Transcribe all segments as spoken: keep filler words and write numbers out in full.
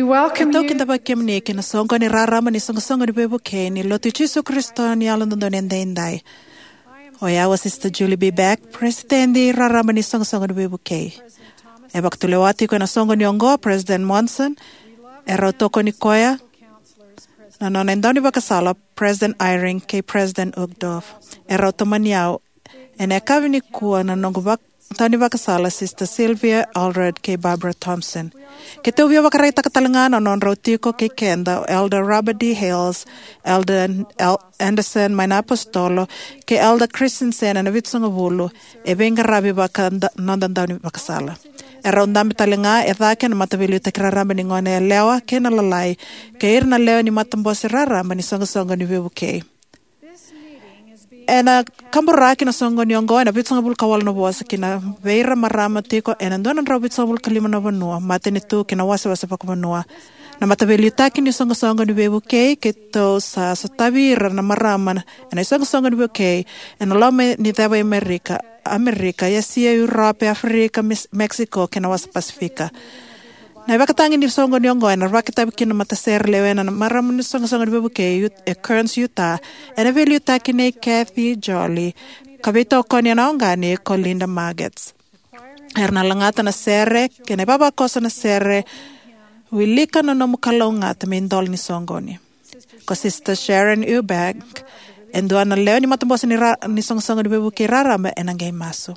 Welcome Keitou you. Kidavaki kemuni ki na soqoni raraba ni Soqosoqo ni Veivukei ni Lotu i Jisu Karisito ni Yalododonu Edaidai. O yau o Sister Julie B. Beck, Peresitedi Raraba ni Soqosoqo ni Veivukei. E vakatulewa tiko ena soqoni oqo o President Monson. E rau tokoni koya na nona daunivakasala, President Eyring kei President Uchtdorf. E rau tomani au ena yakavi nikua na noqu vak daunivakasala, Sister Sylvia Allred kei Barbara Thompson. Keitou via vakaraitaka tale ga na nodrau tiko kei keda o Elder Robert D. Hales, Elder Al Andersen mai na Apositolo, kei Elder Christensen ena Vitusagavulu, e veiqaravi vaka da noda daunivakasala. E rau dabe tale ga e cake na Mataveiliutaki Raraba ni Goneyalewa kei na Lalai, kei ira na lewe ni Matabose Raraba ni Soqosoqo ni Veivukei. Ena kaburaki na soqoni oqo ena vitusagavulu ka walu na vosa ki na vei ira marama tiko ena dua na drau vitusagavulu ka lima na vanua, matanitu kei na wasewase vakavanua. Na Mataveiliutaki ni Soqosoqo ni Veivukei, keitou sa sotavi ira na marama ena isoqosoqo ni veivukei ena loma ni ceva i Amerika, Amerika, Esia, Europe, Aferika, Mes Mexico kei na wasa Pasifika. Na ivakatagi ni soqoni oqo ena vakatavi kina na matasere lewena na marama ni Soqosoqo ni Veivukei e Ut e Kearns, Utah, ena veiliutaki nei Kathy Jolly, ka veitokoni ena oqani ko Linda Margetts. Era na lagata na sere kei na ivavakoso na sere Wilika na Nomu Kalougata me Idola ni Soqoni. Ko Sister Sharon Eubank, e dua na lewe ni Matabose ni, ra ni Soqosoqo ni Veivukei Raraba, ena qai masu.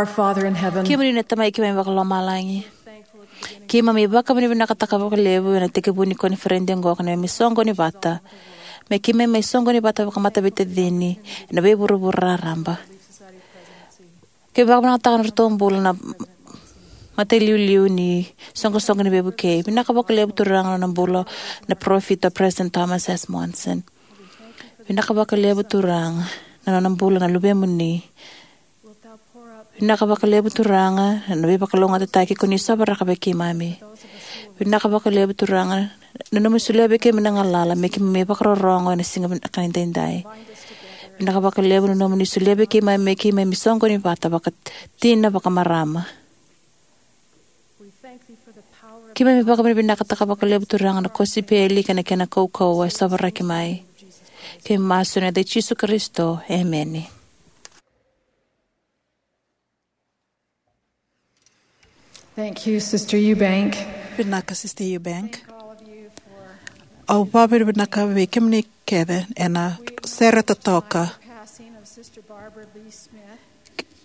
Our Father in heaven, kemuni na Tamai keimami vakalomalagi, keimami vakavinavinakataka vakalevu ena tekivu ni koniferedi oqo ka neimami soqoni vata, me keimami mai soqoni vata vakamataveiveitacini ena veivuravura raraba. Keimami vakavinavinakataka na nodratou bula na matailiuliu ni soqosoqo ni veivukei. Vinaka vakalevu Turaga na nona bula na parofita o President Thomas S. Monson. Vinaka vakalevu Turaga na nona bula na luvemuni. Vinaka vakalevu Turaga na veivakalougatataki ko ni sovaraka vei keimami. Vinaka vakalevu Turaga na nomu solia vei keimami na galala me keimami vakarorogo ena siga vinaka edaidai. Vinaka vakalevu na nomuni solia vei keimami me keimami soqoni vata vakatina vakamarama. Keimami vakavinavinakataka vakalevu Turaga na kosipeli kei na kena kaukauwa e sovaraki mai. Keimami masu ena yaca i Jisu Karisito, emeni. Thank you, Sister Eubank. Vinaka, Sister Eubank. Au vakavinavinaka vei kemuni kece ena sere totoka. Passing of Sister Barbara Lee Smith,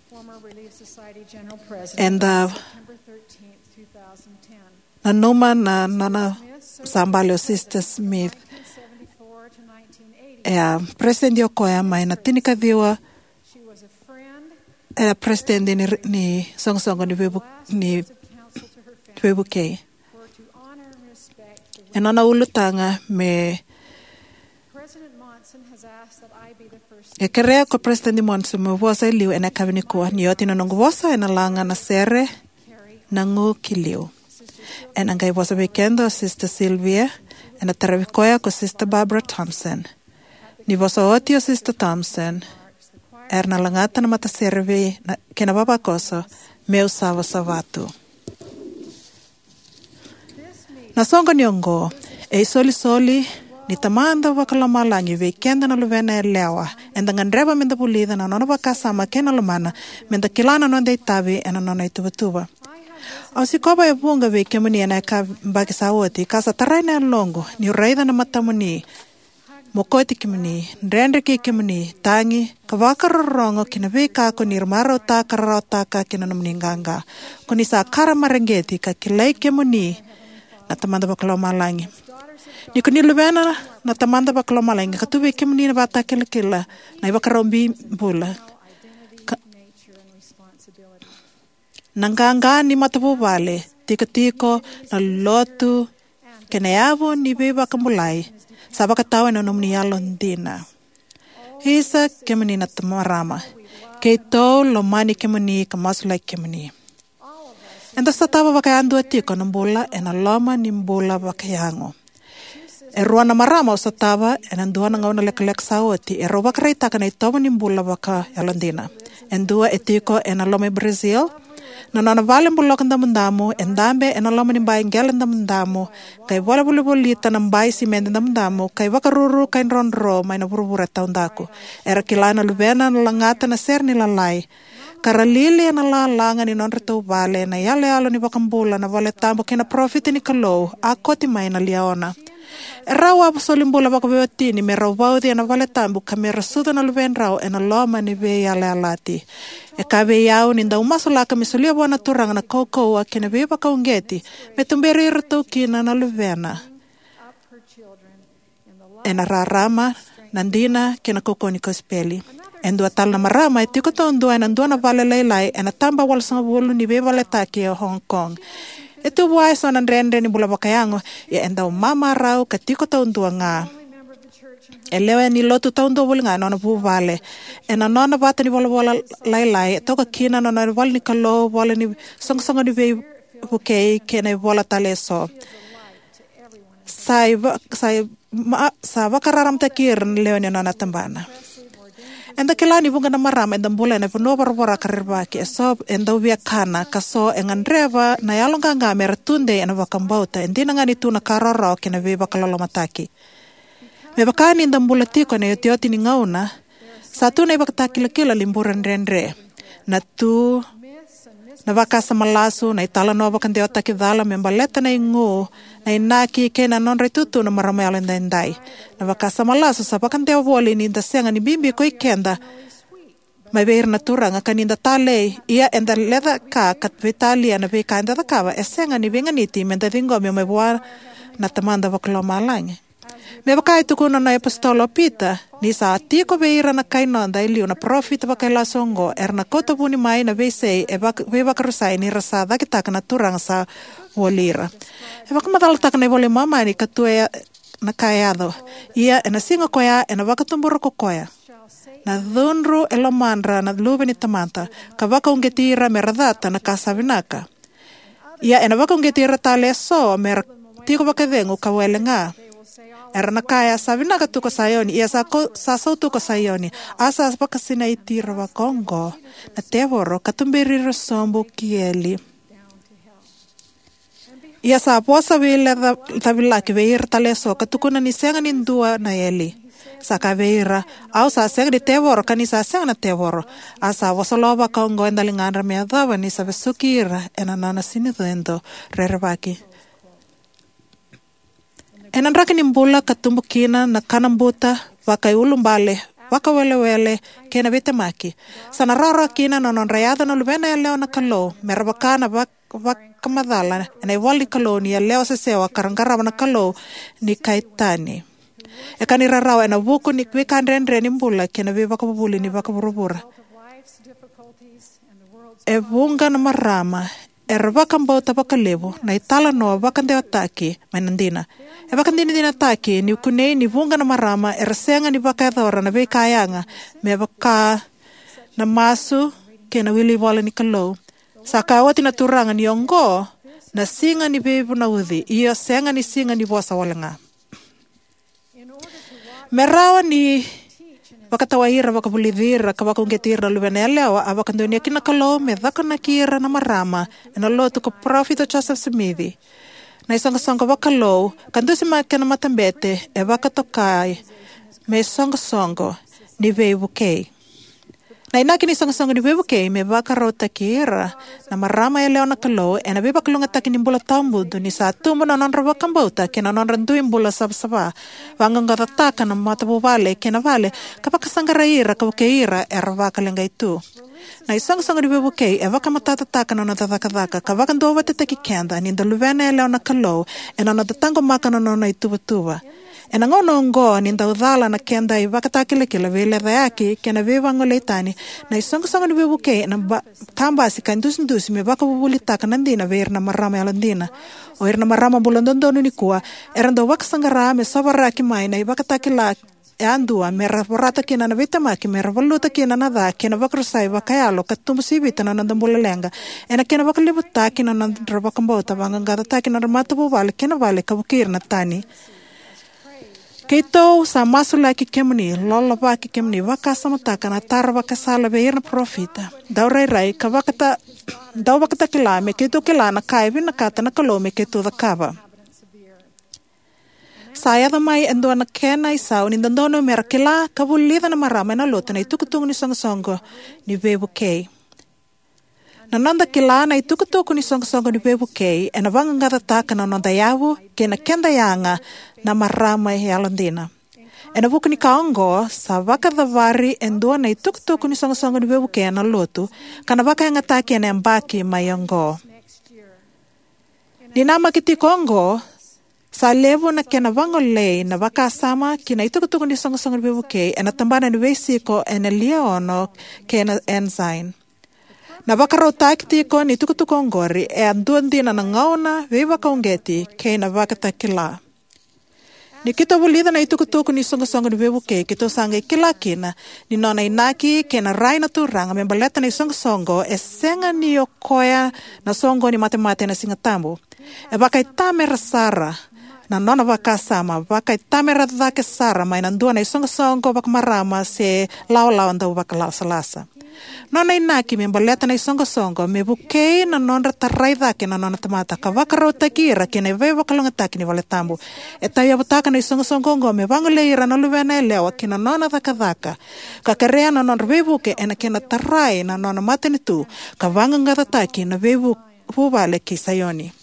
former Relief Society General President, eda September thirteenth, two thousand ten. Nanuma na nona sa bale o Sister Smith. Nineteen seventy-four to nineteen eighty. E a presidenti o koya mai na tinikaciwa. She was a friend, e a presidenti ni, ni soqosoqo ni veivu-, ni veivukei. E nona ulutaga me e kerea ko President Monson me vosa e liu ena yakavi nikua. Ni oti na noqu vosa, ena laga na sere na gu ki liu. Ena qai vosa vei keda o Sister Sylvia, ena taravi koya ko Sister Barbara Thompson. Ni vosa oti o Sister Thompson, era na lagata na matasere vei na, kei na vavakoso, Meu Savasava Tu. Na soqoni oqo e isolisoli ni Tamada Vakalomalagi vei keda na luvena yalewa. Eda gadreva meda vulica na nona vakasama kei na lomana, meda kila na noda itavi ena nona ituvatuva. Au sikova e vuqa vei kemuni ena yabaki sa oti, ka sa tarai na yaloqu niu raica na matamuni, mokoti kemuni, dredre kei kemuni, tagi, ka vakarorogo ki na veika ko ni marautaka ka rarawataka kei na nomuni qaqa. Ko ni sa kara mareqeti ka kilai kemuni na Tamada Vakalomalagi. Ni ko ni luvena na Tamada Vakalomalagi, ka tu vei kemuni na ivakatakilakila, na ivakarau ni bula. Ka, na qaqa ni matavuvale, tikotiko, na lotu, kei na yavu ni veivakabulai, sa vakatau ena nomuni yalodina. Isa kemuni na ta-, marama. Keitou lomani kemuni ka masulaki kemuni. Eda sotava vakayadua tiko na bula ena loma ni bula vakayago. E rua na marama au sotava ena dua na gauna lekaleka sa oti, e rau vakaraitaka na itovo ni bula vakayalodina. E dua e tiko ena loma i Brazil, na nona vale boloka damudamu, e dabe ena loma ni bai qele damudamu, qai volivolivolita na bai simede damudamu, qai vakaruru qai drodro mai na vuravura e taudaku. Era kila na luvena na lagata na sere ni lalai. Ka ra lili ena lalaga ni nodratou vale, na iyaloyalo ni iVakabula, na valetabu kei na parofita ni Kalou, a koti mai na liaona. E rau a solibula vakaveiwatini me rau vauci ena valetabu ka me ra sucu na luvedrau ena loma ni veiyalayalati. E ka vei au ni dau masulaka me solia vua na Turaga na kaukauwa kei na veivakauqeti me tuberi iratou kina na luvena ena rarama, na dina kei na kaukauwa ni kosipeli. E dua tale na marama e tiko taudua ena dua na vale lailai ena taba walusagavulu ni veivaletaki e Hong Kong. E tu vua eso na dredre ni bula vakayago, ia e dau mamarau ka tiko taudua ga. E lewe ni lotu taudua voli ga ena nona vuvale. Ena nona vata ni volavola lailai, e toka kina na nona ivola ni Kalou, ivola ni soqosoqo ni veivukei kei na ivola tale eso. Sa iva-, sa i-, ma-, sa vakararamataki ira na lewe ni nona tabana. Eda kila ni vuqa na marama eda bula ena vanua voravora ka rerevaki, eso e dau via kana, ka so e gadreva na yaloqaqa me ra tudei ena vakabauta. E dina ga ni tu na ka rawarawa kei na veivakalolomataki. Me vaka ni da bula tiko ena iotioti ni gauna, sa tu na ivakatakilakila ni bula dredre. Na tu na vakasama lasu, na italanoa vakadewataki cala me baleta na igu, na inaki kei na nodra itutu na marama yalo edaidai. Na vakasama lasu sa vakadewa voli ni da sega ni bibi ko ikeda mai vei ira na turaga, ka ni da talei, ia eda leca ka ka veitalia na veika eda cakava, e sega ni veiganiti me da ciqomi mai vua na Tamada Vakalomalagi. Me vaka e tukuna na iApositolo o Pita, ni sa tiko vei ira na kai noda e liu na parofita vakailasu oqo, era na kauta vuni mai na veisei e vak-, veivakarusai ni ra sa cakitaka na Turaga sa voli ira. E vakamacalataka na iVola i Momani ka tu e na ka e yaco. Ia, ena siga koya, ena vakatubura ko koya na cudru e lomadra na luve ni tamata, ka vakauqeti ira me ra cata na ka sa vinaka. Ia, ena vakauqeti ira tale eso me ra tiko vakacegu ka wele ga. Era na kaya, "Sa vinaka tu ko Saioni, ia sa ko-, sa sautu ko Saioni, a sa vakasinaiti ira vakaoqo na tevoro, ka tuberi ira sobu ki eli." Ia sa vosa veilecavilaki vei ira tale eso, ka tukuna ni sega ni dua na eli. Sa kaya vei ira, "Au sa sega ni tevoro, ka ni sa sega na tevoro." A sa vosa lo vakaoqo e daligadra me yacova ni sa vesuki ira ena nona sinicedo rerevaki. Ena draki ni bula ka tubu kina na kanabuta vakaiulubale, vakawelewele, kei na veitemaki, sa na rawarawa kina na nodra yaco na luvena yalewa na Kalou me ra vaka na vak-, vakamacala ena ivola ni Kalou ni yalewa sesewa ka ra qarava na kalou ni kai tani. E ka ni rarawa ena vuku ni veika dredre ni bula kei na veivakavuvuli ni vakavuravura. E vuqa na marama era vakabauta vakalevu na italanoa vakadewataki mai na dina. E vakadinadinataki ni kunei ni vuqa na marama era sega ni vakayacora na veika yaga me vaka na masu kei na wili ivola ni Kalou. Sa kaya oti na Turaga ni oqo na siga ni veivunauci, io sega ni siga ni vosa wale ga. Me rawa ni vakatawai ira, vakavulici ira, ka vakauqeti ira na luvena yalewa, a vakadonuya kina na Kalou me cakonaki ira na marama ena lotu ko Parofita Josefa Simici, na isoqosoqo vakalou, ka dusimaki ena matabete e vakatokai me isoqosoqo ni veivukei. Na inaki ni isoqosoqo ni veivukei me vakarautaki ira na marama yalewa na Kalou ena veivakalougatataki ni bula tawamudu ni sa tubu na nodra vakabauta kei na nodra dui bula savasava, vaqaqacotaka na matavuvale kei na vale, ka vakasaqarai ira ka vukei ira era vakaleqai tu. Na isoqosoqo ni veivukei e vakamatatataka na noda cakacaka ka vakaduavatataki keda ni da luvena yalewa na Kalou ena noda taqomaka na nona ituvatuva. Ena gauna oqo ni dau cala na keda ivakatakilakila, veilecayaki kei na veivagolei tani, na isoqosoqo ni veivukei ena ba-, kabasi ka idusidusi me vakavuvulitaka na dina vei ira na marama yalodina. O ira na marama bula dodonu nikua era dau vakasaqara me sovaraki mai na ivakatakila yadua me ra vorata kina na veitemaki, me ra valuta kina na ca kei na vakarusai vakayalo, ka tubu sivita na noda bula leqa ena kena vakalevutaki na nodra vakabauta, vaqaqacotaki na nodra matavuvale kei na vale, ka vukei ira na tani. Keitou sa masulaki kemuni, lolovaki kemuni, vakasamataka na taro vakasala vei ira na parofita, dau rairai ka vakata-, dau vakatakila me keitou kila na ka e vinakata na Kalou me keitou cakava. Sa yaco mai e dua na kena isau ni dodonu me ra kila ka vulica na marama ena lotu na itukutuku ni isoqosoqo ni veivukei. Na noda kila na itukutuku ni isoqosoqo ni veivukei ena vaqaqacotaka na noda yavu kei na keda yaga na marama yalodina. Ena vuku ni ka oqo, sa vakacavari e dua na itukutuku ni isoqosoqo ni veivukei ena lotu, ka na vakayagataki ena yabaki mai oqo. Ni namaki tiko oqo, sa levu na kena vagolei na vakasama ki na itukutuku ni isoqosoqo ni veivukei ena tabana ni veisiko ena Liaono kei na Ensign. Na vakarautaki tiko ni tukutuku oqori e a dua dina na gauna, veivakauqeti kei na vakatakila. Ni keitou vulica na itukutuku ni isoqosoqo ni veivukei, keitou sa qai kila kina ni nona inaki kei na rai na Turaga me baleta na isoqosoqo e sega ni o koya na soqoni matemate ena Siga Tabu. E vakaitamera sara na nona vakasama, vakaitamera cake sara mai na dua na isoqosoqo vakamarama se lawalawa dau vakalasalasa. Nona inaki me baleta na isoqosoqo me vukei na nodra tarai cake na nona tamata ka vakarautaki ira ki na veivakalougatataki ni valetabu. E tauyavutaka na isoqosoqo oqo me vagolei ira na luvena yalewa ki na nona cakacaka, ka kerea na nodra veivuke ena kena tarai na nona matanitu ka vaqaqacotaki na veivu-, vuvale ki Saioni.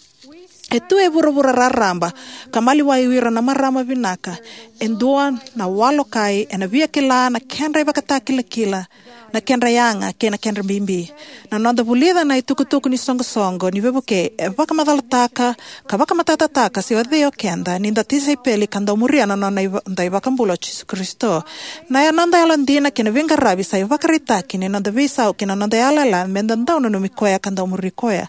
E tu e vuravura raraba ka maliwai o ira na marama vinaka e dua na walokai ena via kila na kedra ivakatakilakila na kedra yaga kei na kedra bibi. Na noda vulica na itukutuku ni soqosoqo ni veivukei e vakamacalataka ka vakamatatataka se o cei o keda ni da tisaipeli ka dau muria na noda iVakabula o Jisu Karisito. Na noda yalodina kei na veiqaravi sa ivakaraitaki ni noda veisau kei na noda yalayala me da dau nanumi koya ka dau muri koya.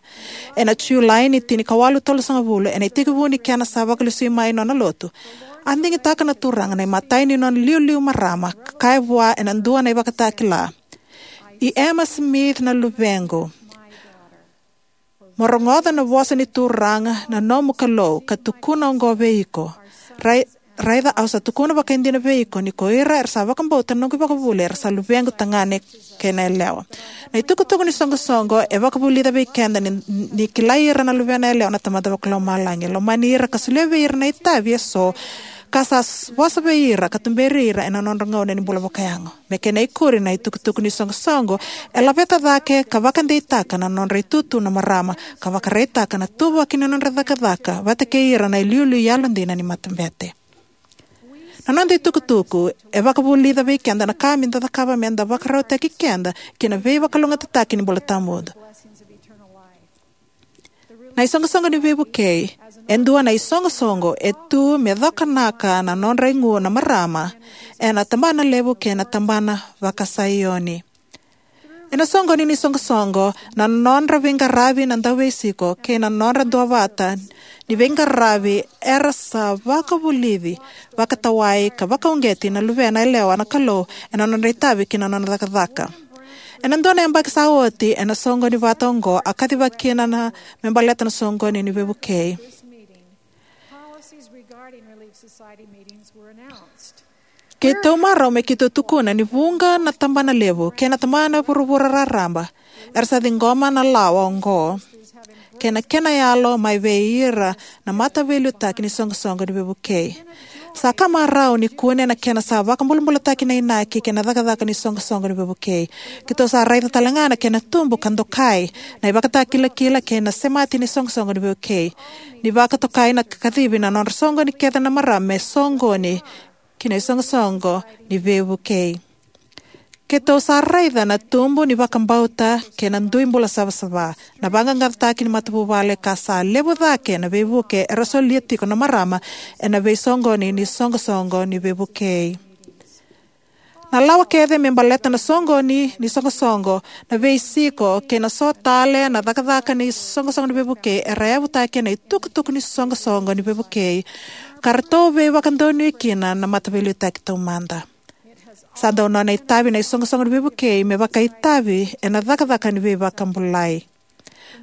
Ena Julai ni tinikawalu tolusagavulu, ena itekivu ni kena sa vakalesui mai nona lotu, a digitaka na Turaga na imatai ni nona iliuliu marama ka kaya vua ena dua na ivakatakila: "I Emma Smith na luvequ. Mo rogoca na vosa ni Turaga na nomu Kalou ka tukuna oqo vei iko: Rai, raica, au sa tukuna vakaidina vei iko ni ko ira era sa vakabauta na noqu ivakavuvuli era sa luvequ tagane kei na yalewa." Na itukutuku ni soqosoqo e vakavulica vei keda ni, ni kilai ira na luvena yalewa na Tamada Vakalomalagi. E lomani ira ka solia vei ira na itavi eso ka sa s-, vosa vei ira ka tuberi ira ena nodra gauna ni bula vakayago. Me kena ikuri, na itukutuku ni soqosoqo e laveta cake ka vakadeitaka na nodra itutu na marama ka vakaraitaka na ituvaki ni nodra cakacaka vata kei ira na iliuliu yalodina ni matabete. Na noda itukutuku e vakavulica vei keda na ka me da cakava me da vakarautaki keda ki na veivakalougatataki ni bula tawamudu. Na isoqosoqo ni veivukei e dua na isoqosoqo e tu me cokanaka na nodra igu na marama ena tabana levu kei na tabana vakaSaioni. Ena soqoni ni soqosoqo, na nodra veiqaravi na dauveisiko kei na nodra duavata ni veiqaravi era sa vakavulici vakatawai ka vakauqeti na luvena yalewa na Kalou ena nodra itavi kei na nona cakacaka. Ena dua na yabaki sa oti, ena soqoni vata oqo, a kacivaki kina na me baleta na soqoni ni veivukei. Policies regarding Relief Society meetings were announced. Keitou marau me keitou tukuna ni vuqa na tabana levu kei na tabana vuravura raraba era sa ciqoma na lawa oqo kei na kena yalo mai vei ira na mataveiliutaki ni soqosoqo ni veivukei. Sa ka marau ni kune na kena sa vakabulabulataki na inaki kei na cakacaka ni soqosoqo ni veivukei. Keitou sa raica talega na kena tubu ka dokai na ivakatakilakila kei na semati ni soqosoqo ni veivukei, ni vakatokai na kacivi na nodra soqoni kece na marama me soqoni ki na isoqosoqo ni veivukei. Keitou sa raica na tubu ni vakabauta kei na dui bula savasava, na vaqaqacotaki ni matavuvale, ka sa levu cake na veivuke era solia tiko na marama ena veisoqoni ni soqosoqo ni veivukei. Na lawa kece me baleta na soqoni ni soqosoqo, na veisiko, kei na so tale na cakacaka ni soqosoqo ni veivukei era yavutaki ena itukutuku ni soqosoqo ni veivukei ka ratou veivakadonui kina na mataveiliutaki taumada. Sa dau nona itavi na isoqosoqo ni veivukei me vakaitavi ena cakacaka ni veivakabulai.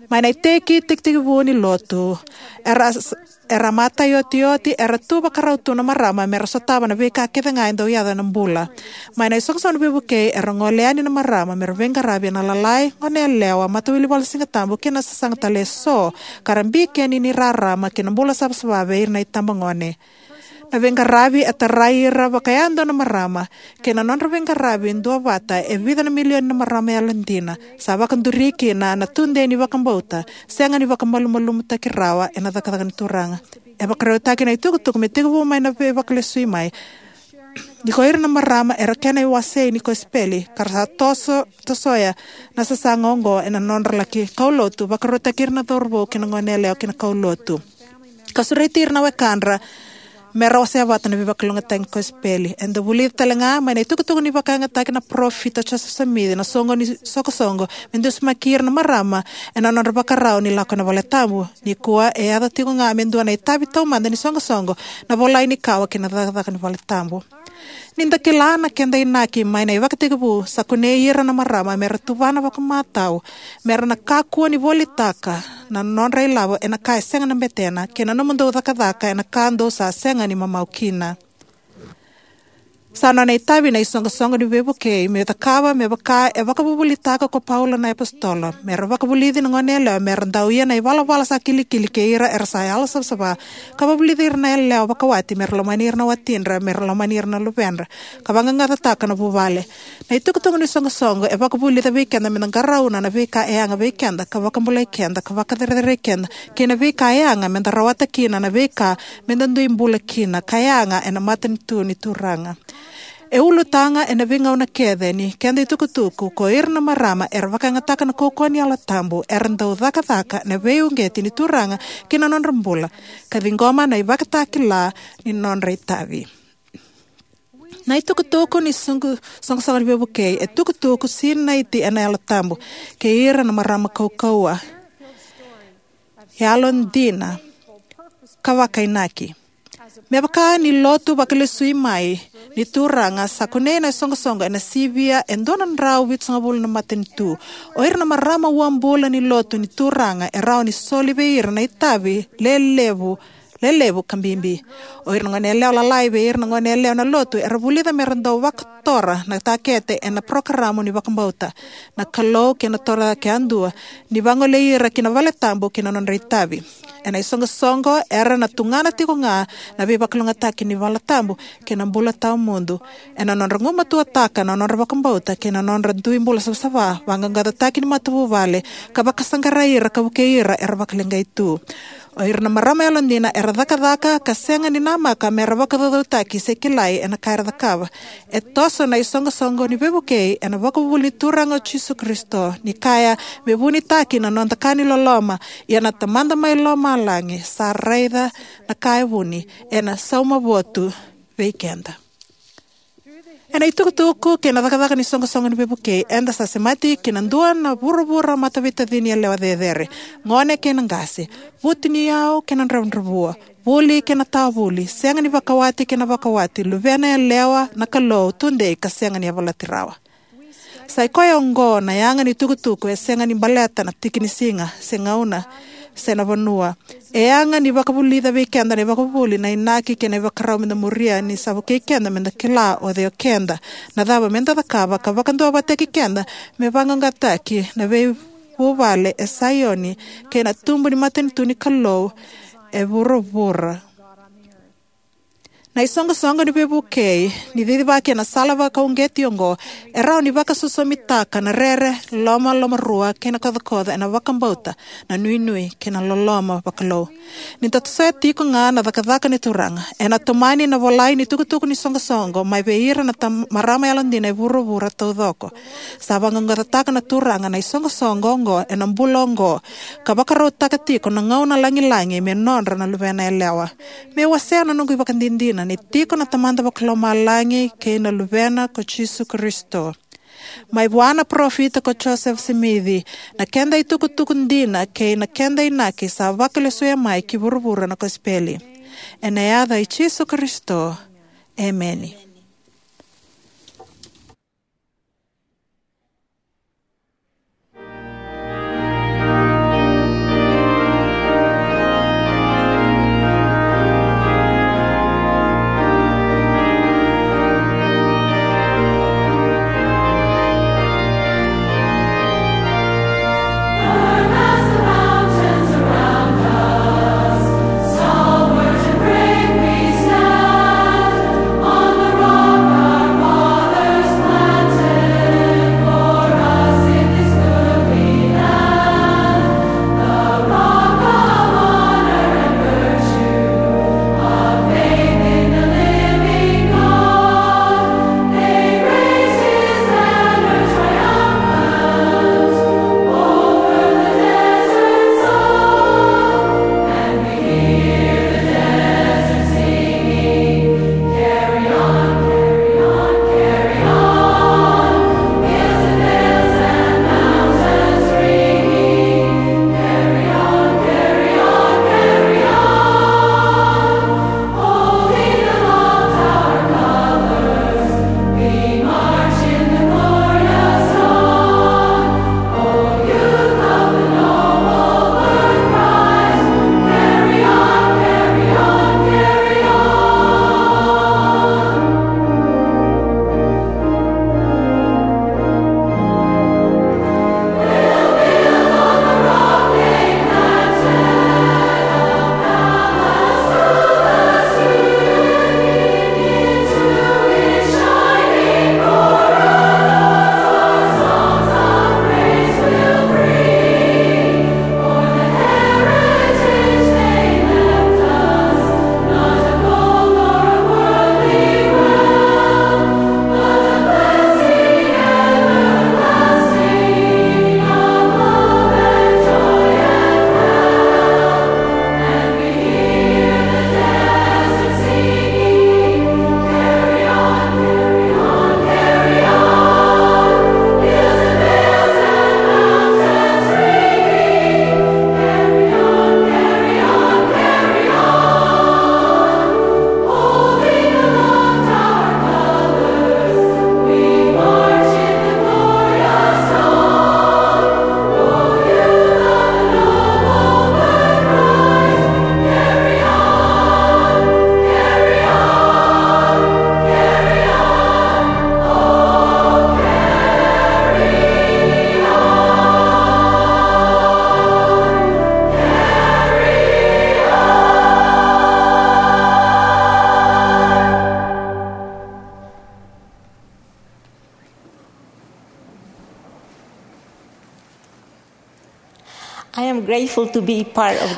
Mai na iteki tekitekivu ni lotu, era s-, era matai otioti, era tu vakarau tu na marama mera sotava na veika kece ga e dau yaco ena bula. Mai na isoqosoqo ni veivukei, era gole yani na marama mera veiqaravi ena lalai, goneyalewa, matawilivalu ni Sigatabu, kei na sasaga tale eso, ka ra bikeni ni rarama kei na bula savasava vei ira na itabagone. Na veiqaravi e tarai ira vakayadua na marama kei na nodra veiqaravi duavata e vica na milioni na marama yalodina sa vakaduri kina na tudei ni vakabauta sega ni vakamalumalumutaki rawa ena cakacaka ni Turaga. E vakarautaki na itukutuku me tekivu mai na veivakalesui mai, ni ko ira na marama era kena iwasei ni kosipeli ka ra sa toso, tosoya na sasaga oqo ena nodra laki kaulotu, vakarautaki ira na cauravou kei na goneyalewa ki na kaulotu, ka sureti ira na wekadra mera wasea vata na veivakalougatataki ni kosipeli. Eda vulica talega mai na itukutuku ni vakayagataki na parofita o Josefa Samici na soqo ni soqosoqo me dusimaki ira na marama ena nodra vakarau ni lako ena valetabu. Nikua e yaco tiko ga me dua na itavi taumada ni soqosoqo na volai ni kawa kei na cakacaka ni valetabu. Ni da kila na keda inaki mai na ivakatekivu, sa kunei ira na marama mera tuvana vakamatau, mera na kakua ni volitaka na nodra ilavo ena ka e sega na betena, kei na nomudou cakacaka ena ka dou sa sega ni mamau kina. Sa nona itavi na isoqosoqo ni veivukei me cakava me vaka e vakavuvulitaka ko Paula na iapositolo, mera vakavulici na goneyalewa mera dau ia na ivalavala sa kilikili kei ira era sa yalosavasava, ka vakavulici ira na yalewa vakawati mera lomani ira na watidra, mera lomani ira na luvedra, ka vaqaqacotaka na vuvale. Na itukutuku ni soqosoqo e vakavulica vei keda me da qarauna na veika e yaga vei keda, ka vakabulai keda, ka vakacerecerei keda, kei na veika e yaga me da rawata kina na veika me da dui bula kina ka yaga ena matanitu ni Turaga. E ulutaga ena veigauna kece ni keda itukutuku, ko ira na marama era vakayagataka na kaukauwa ni Yalo Tabu era dau cakacaka ena veiuqeti ni Turaga ki na nodra bula, ka ciqoma na ivakatakila ni nodra itavi. Na itukutuku ni soqo-, soqosoqo ni veivukei e tukutuku sinaiti ena Yalo Tabu kei ira na marama kaukauwa, yalodina, ka vakainaki. Me vaka ni lotu vakalesui mai ni Turaga, sa kunei na isoqosoqo ena sivia e dua na drau vitusagavulu na matanitu. O ira na marama uabula ni lotu ni Turaga e rawa ni soli vei ira na itavi lelevu, lelevu ka bibi. O ira na goneyalewa lalai vei ira na goneyalewa na lotu era vulica mera dau vakatora na takete ena parokaramu ni vakabauta, na Kalou kei na torocake yadua, ni vagolei ira ki na valetabu kei na nodra itavi. Ena isoqosoqo era na tugana tiko ga na veivakalougatataki ni valetabu kei na bula tawamudu. Ena nodra gumatuataka na nodra vakabauta kei na nodra dui bula savasava, vaqaqacotaki ni matavuvale, ka vakasaqarai ira ka vukei ira era vakaleqai tu. O ira na marama yalodina era cakacaka ka sega ni namaka mera vakacaucautaki se kilai ena ka era cakava. E toso na isoqosoqo ni veivukei ena vakavuvuli ni Turaga o Jisu Karisito, ni kaya me vunitaki na noda ka ni loloma, ia na Tamada mai lomalagi sa raica na ka e vuni, ena sauma votu vei keda. Ena itukutuku kei na cakacaka ni soqosoqo ni veivukei, eda sa semati ki na dua na vuravura mataveitacini yalewa cecere, gone kei na qase, vutuniyau kei na dravudravua, vuli kei na tawa vuli, sega ni vakawati kei na vakawati, luvena yalewa na Kalou, tudei ka sega ni yavalati rawa. Sa i koya oqo na yaga ni tukutuku e sega ni baleta na tiki ni siga, se gauna, se na vanua. E yaga ni vakavulica vei keda na ivakavuvuli, na inaki kei na ivakarau meda muria, ni sa vukei keda meda kila o cei o keda, na cava meda cakava, ka vakaduavatataki keda me vaqaqacotaki na veivuvale e Saioni kei na tubu ni matanitu ni Kalou e vuravura. Na isoqosoqo ni veivukei, ni cicivaki ena sala vakauqeti oqo, e rawa ni vakasosomitaka na rere, lomalomarua kei na kocokoco ena vakabauta, na nuinui kei na loloma vakalou. Ni da tosoya tiko ga na cakacaka ni Turaga, ena tomani na volai ni tukutuku ni soqosoqo mai vei ira na tam-, marama yalodina e vuravura taucoko. Sa vaqaqacotaka na Turaga na isoqosoqo oqo ena bula oqo, ka vakarautaka tiko na gauna lagilagi me nodra na luvena yalewa. Meu wasea na noqu ivakadinadina ni tiko na Tamada Vakalomalagi kei na Luvena ko Jisu Karisito, mai vua na parofita ko Josefa Simici, na keda itukutuku dina kei na keda inaki sa vakalesuya mai ki vuravura na kosipeli. Ena yaca i Jisu Karisito, emeni.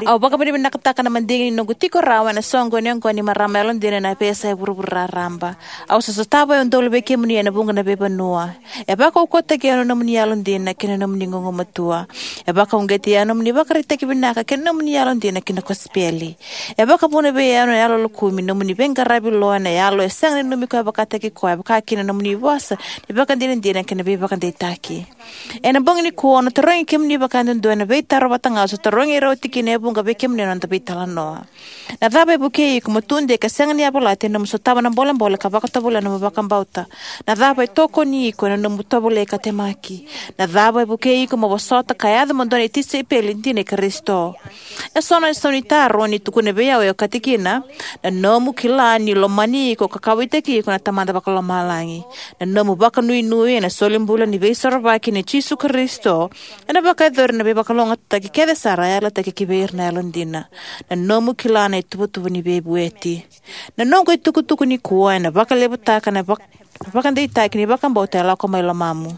Au vakavinavinakataka na madigi ni noqu tiko rawa ena soqoni oqo ni marama yalodina ena veiyasai vuravura raraba. Au sa sotava e udolu vei kemuni ena vuqa na veivanua. E vakaukauwataki au na nomuni yalodina kei na nomuni gugumatua. E vakauqeti au na nomuni ivakaraitaki vinaka kei na nomuni yalodina ki na kosipeli. E vakavuna vei au na yalo lokumi, nomuni veiqaravi lo ena yalo e sega ni nanumi koya vakataki koya, vakakina na nomuni vosa ni vakadinadina kei na veivakadeitaki. Ena bogi nikua au na tarogi kemuni vakayadudua ena veitaro vata ga au sa tarogi ira oti kina e vuqa vei kemuni ena noda veitalanoa. Na cava e vukei iko mo tudei ka sega ni yavalati ena nomu sotava na bolebole ka vakatovolea na nomu vakabauta? Na cava e tokoni iko ena nomu tovolei ka temaki? Na cava e vukei iko mo vosota ka yaco mo dua na tisaipeli dina i Karisito? E so na isau ni taro ni tukuna vei au e okati kina: na nomu kila ni lomani iko ka kauwaitaki iko na Tamada Vakalomalagi. Na nomu vakanuinui ena solibula ni Veisorovaki nei Jisu Karisito ena vakayacori na veivakalougatataki kece sara e yalataki ki vei ira na yalodina. Na nomu kila na ituvatuva ni veivueti. Na noqu itukutuku nikua ena vakalevutaka na vak- vakadeitaki ni vakabauta e lako mai lomamu.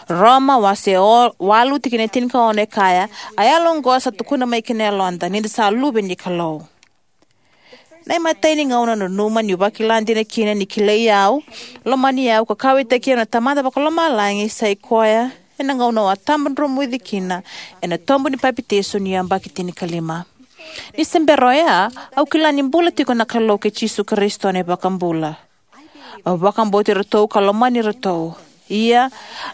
Roma wase o- walu tikina e tinikaono e kaya: A yalo oqo sa tukuna mai ki na yaloda ni da sa luve ni Kalou. Na imatai ni gauna au nanuma niu vakila dina kina ni kilai au, lomani au, ka kauwaitaki au na Tamada Vakalomalagi sa i koya ena gauna au a tabadromuci kina ena tobu ni papitaiso niu yabaki tinikalima. Ni se bera oya, au kila ni bula tiko na Kalou kei Jisu Karisito na iVakabula. Au vakabauti iratou ka lomani iratou. Ia,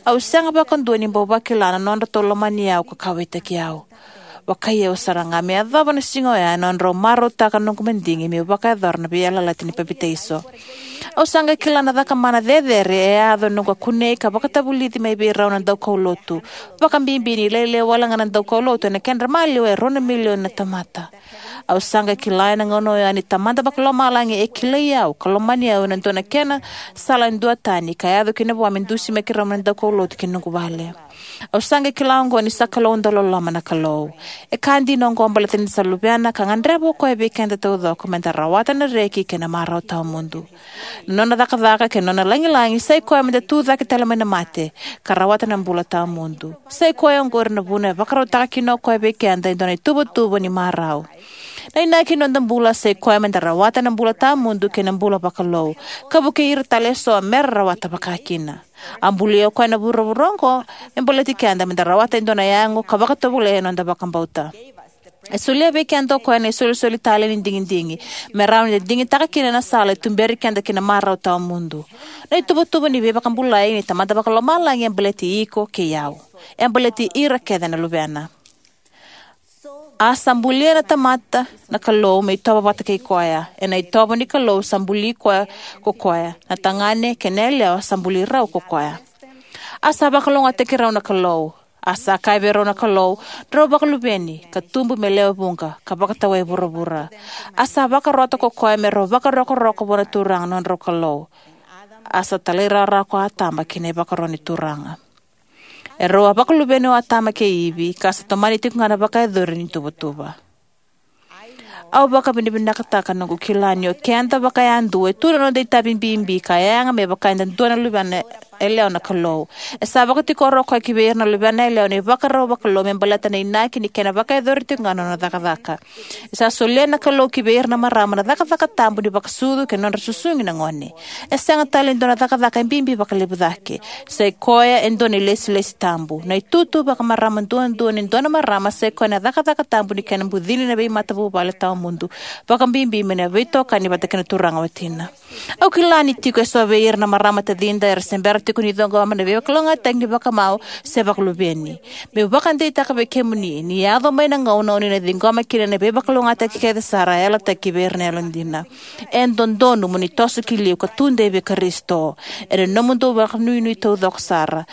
au sega vakadua ni bau vakila na nodratou lomani au ka kauwaitaki au. Vakai au sara ga me yacova na siga oya ena nodrau marautaka na noqu madigi meu vakayacora na veiyalayalati ni papitaiso. Au sa qai kila na cakamana cecere e yaco ena noqu a kunei ka vakatavulici mai vei rau na daukaulotu, vakabibi ni lailai wale ga na daukaulotu ena kedra maliwa e rua na milioni na tamata. Au sa qai kila ena gauna oya ni Tamada Vakalomalagi e kilai au ka lomani au ena dua na kena sala duatani ka yaco kina vua me dusimaki rau mai na daukaulotu ki na noqu vale. Au sa qai kila oqo ni sa Kalou dauloloma na Kalou. E ka dina oqo baleta ni da sa luvena ka gadreva o koya vei keda taucoko me da rawata na reki kei na marau tawamudu. Na nona cakacaka kei na nona lagilagi sa i koya me da tucake tale mai na mate ka rawata na bula tawamudu. Sa i koya oqori na vuna e vakarautaka kina o koya vei keda e dua na ituvatuva ni marau. Na inaki ni noda bula sa i koya me da rawata na bula tawamudu kei na bula vakalou, ka vukei ira tale eso me ra rawata vakakina. A bulia o koya na vuravura oqo me baleti keda me da rawata e dua na yago ka vakatovolei ena noda vakabauta. E solia vei keda o koya na isolisoli talei ni digidigi me rawa ni da digitaka kina na sala e tuberi keda ki na marau tawamudu. Na ituvatuva ni veivakabulai ni Tamada Vakalomalagi e baleti iko kei au. E baleti ira kece na luvena. A sa bulia na tamata na Kalou me itovo vata kei koya. Ena itovo ni Kalou sa buli koya ko koya. Na tagane kei na yalewa sa buli rau ko koya. A sa vakalougatataki rau na Kalou. A sa kaya vei rau na Kalou, drau vakaluveni, ka tubu me lewe vuqa, ka vakatawai vuravura. A sa vakarota ko koya me rau vakarokoroko vua na Turaga na nodrau Kalou. A sa talairawarawa ko Atama ki na ivakaro ni Turaga. E rau a vakaluveni o Atama kei Ivi, ka sa tomani tiko ga na vakayacori ni tuvatuva. Au vakavinavinakataka noqu kila ni o keda vakayadua e tu na noda itavi bibi ka yaga me vaka eda dua na luvena yalewa na Kalou. E sa vakatikora o koya ki vei ira na luvena yalewa na ivakarau vakalou me baleta na inaki ni kena vakayacori tiko ga na nona cakacaka. E sa solia na Kalou ki vei ira na marama na cakacaka tabu ni vakasucu kei na nodra susugi na gone. E sega tale ni dua na cakacaka e bibi vakalevu cake. Sa i koya e dua na ilesilesi tabu. Na itutu vakamarama duadua ni dua na marama sa i koya na cakacaka tabu ni kena bucini na veimatavuvale tawamudu, vakabibi mai na veitokani vata kei na turaga watina. Au kila ni tiko eso vei ira na marama tacida era se bera tiko ni ciqoma na veivakalougatataki ni vakamau se vakaluveni. Meu vakadeitaka vei kemuni ni yaco mai na gauna o ni na ciqoma kina na veivakalougatataki kece sara e yalataki vei ira na yalodina. E dodonu mo ni toso ki liu ka tudei vei Karisito ena nomudou vakanuinui taucoko sara,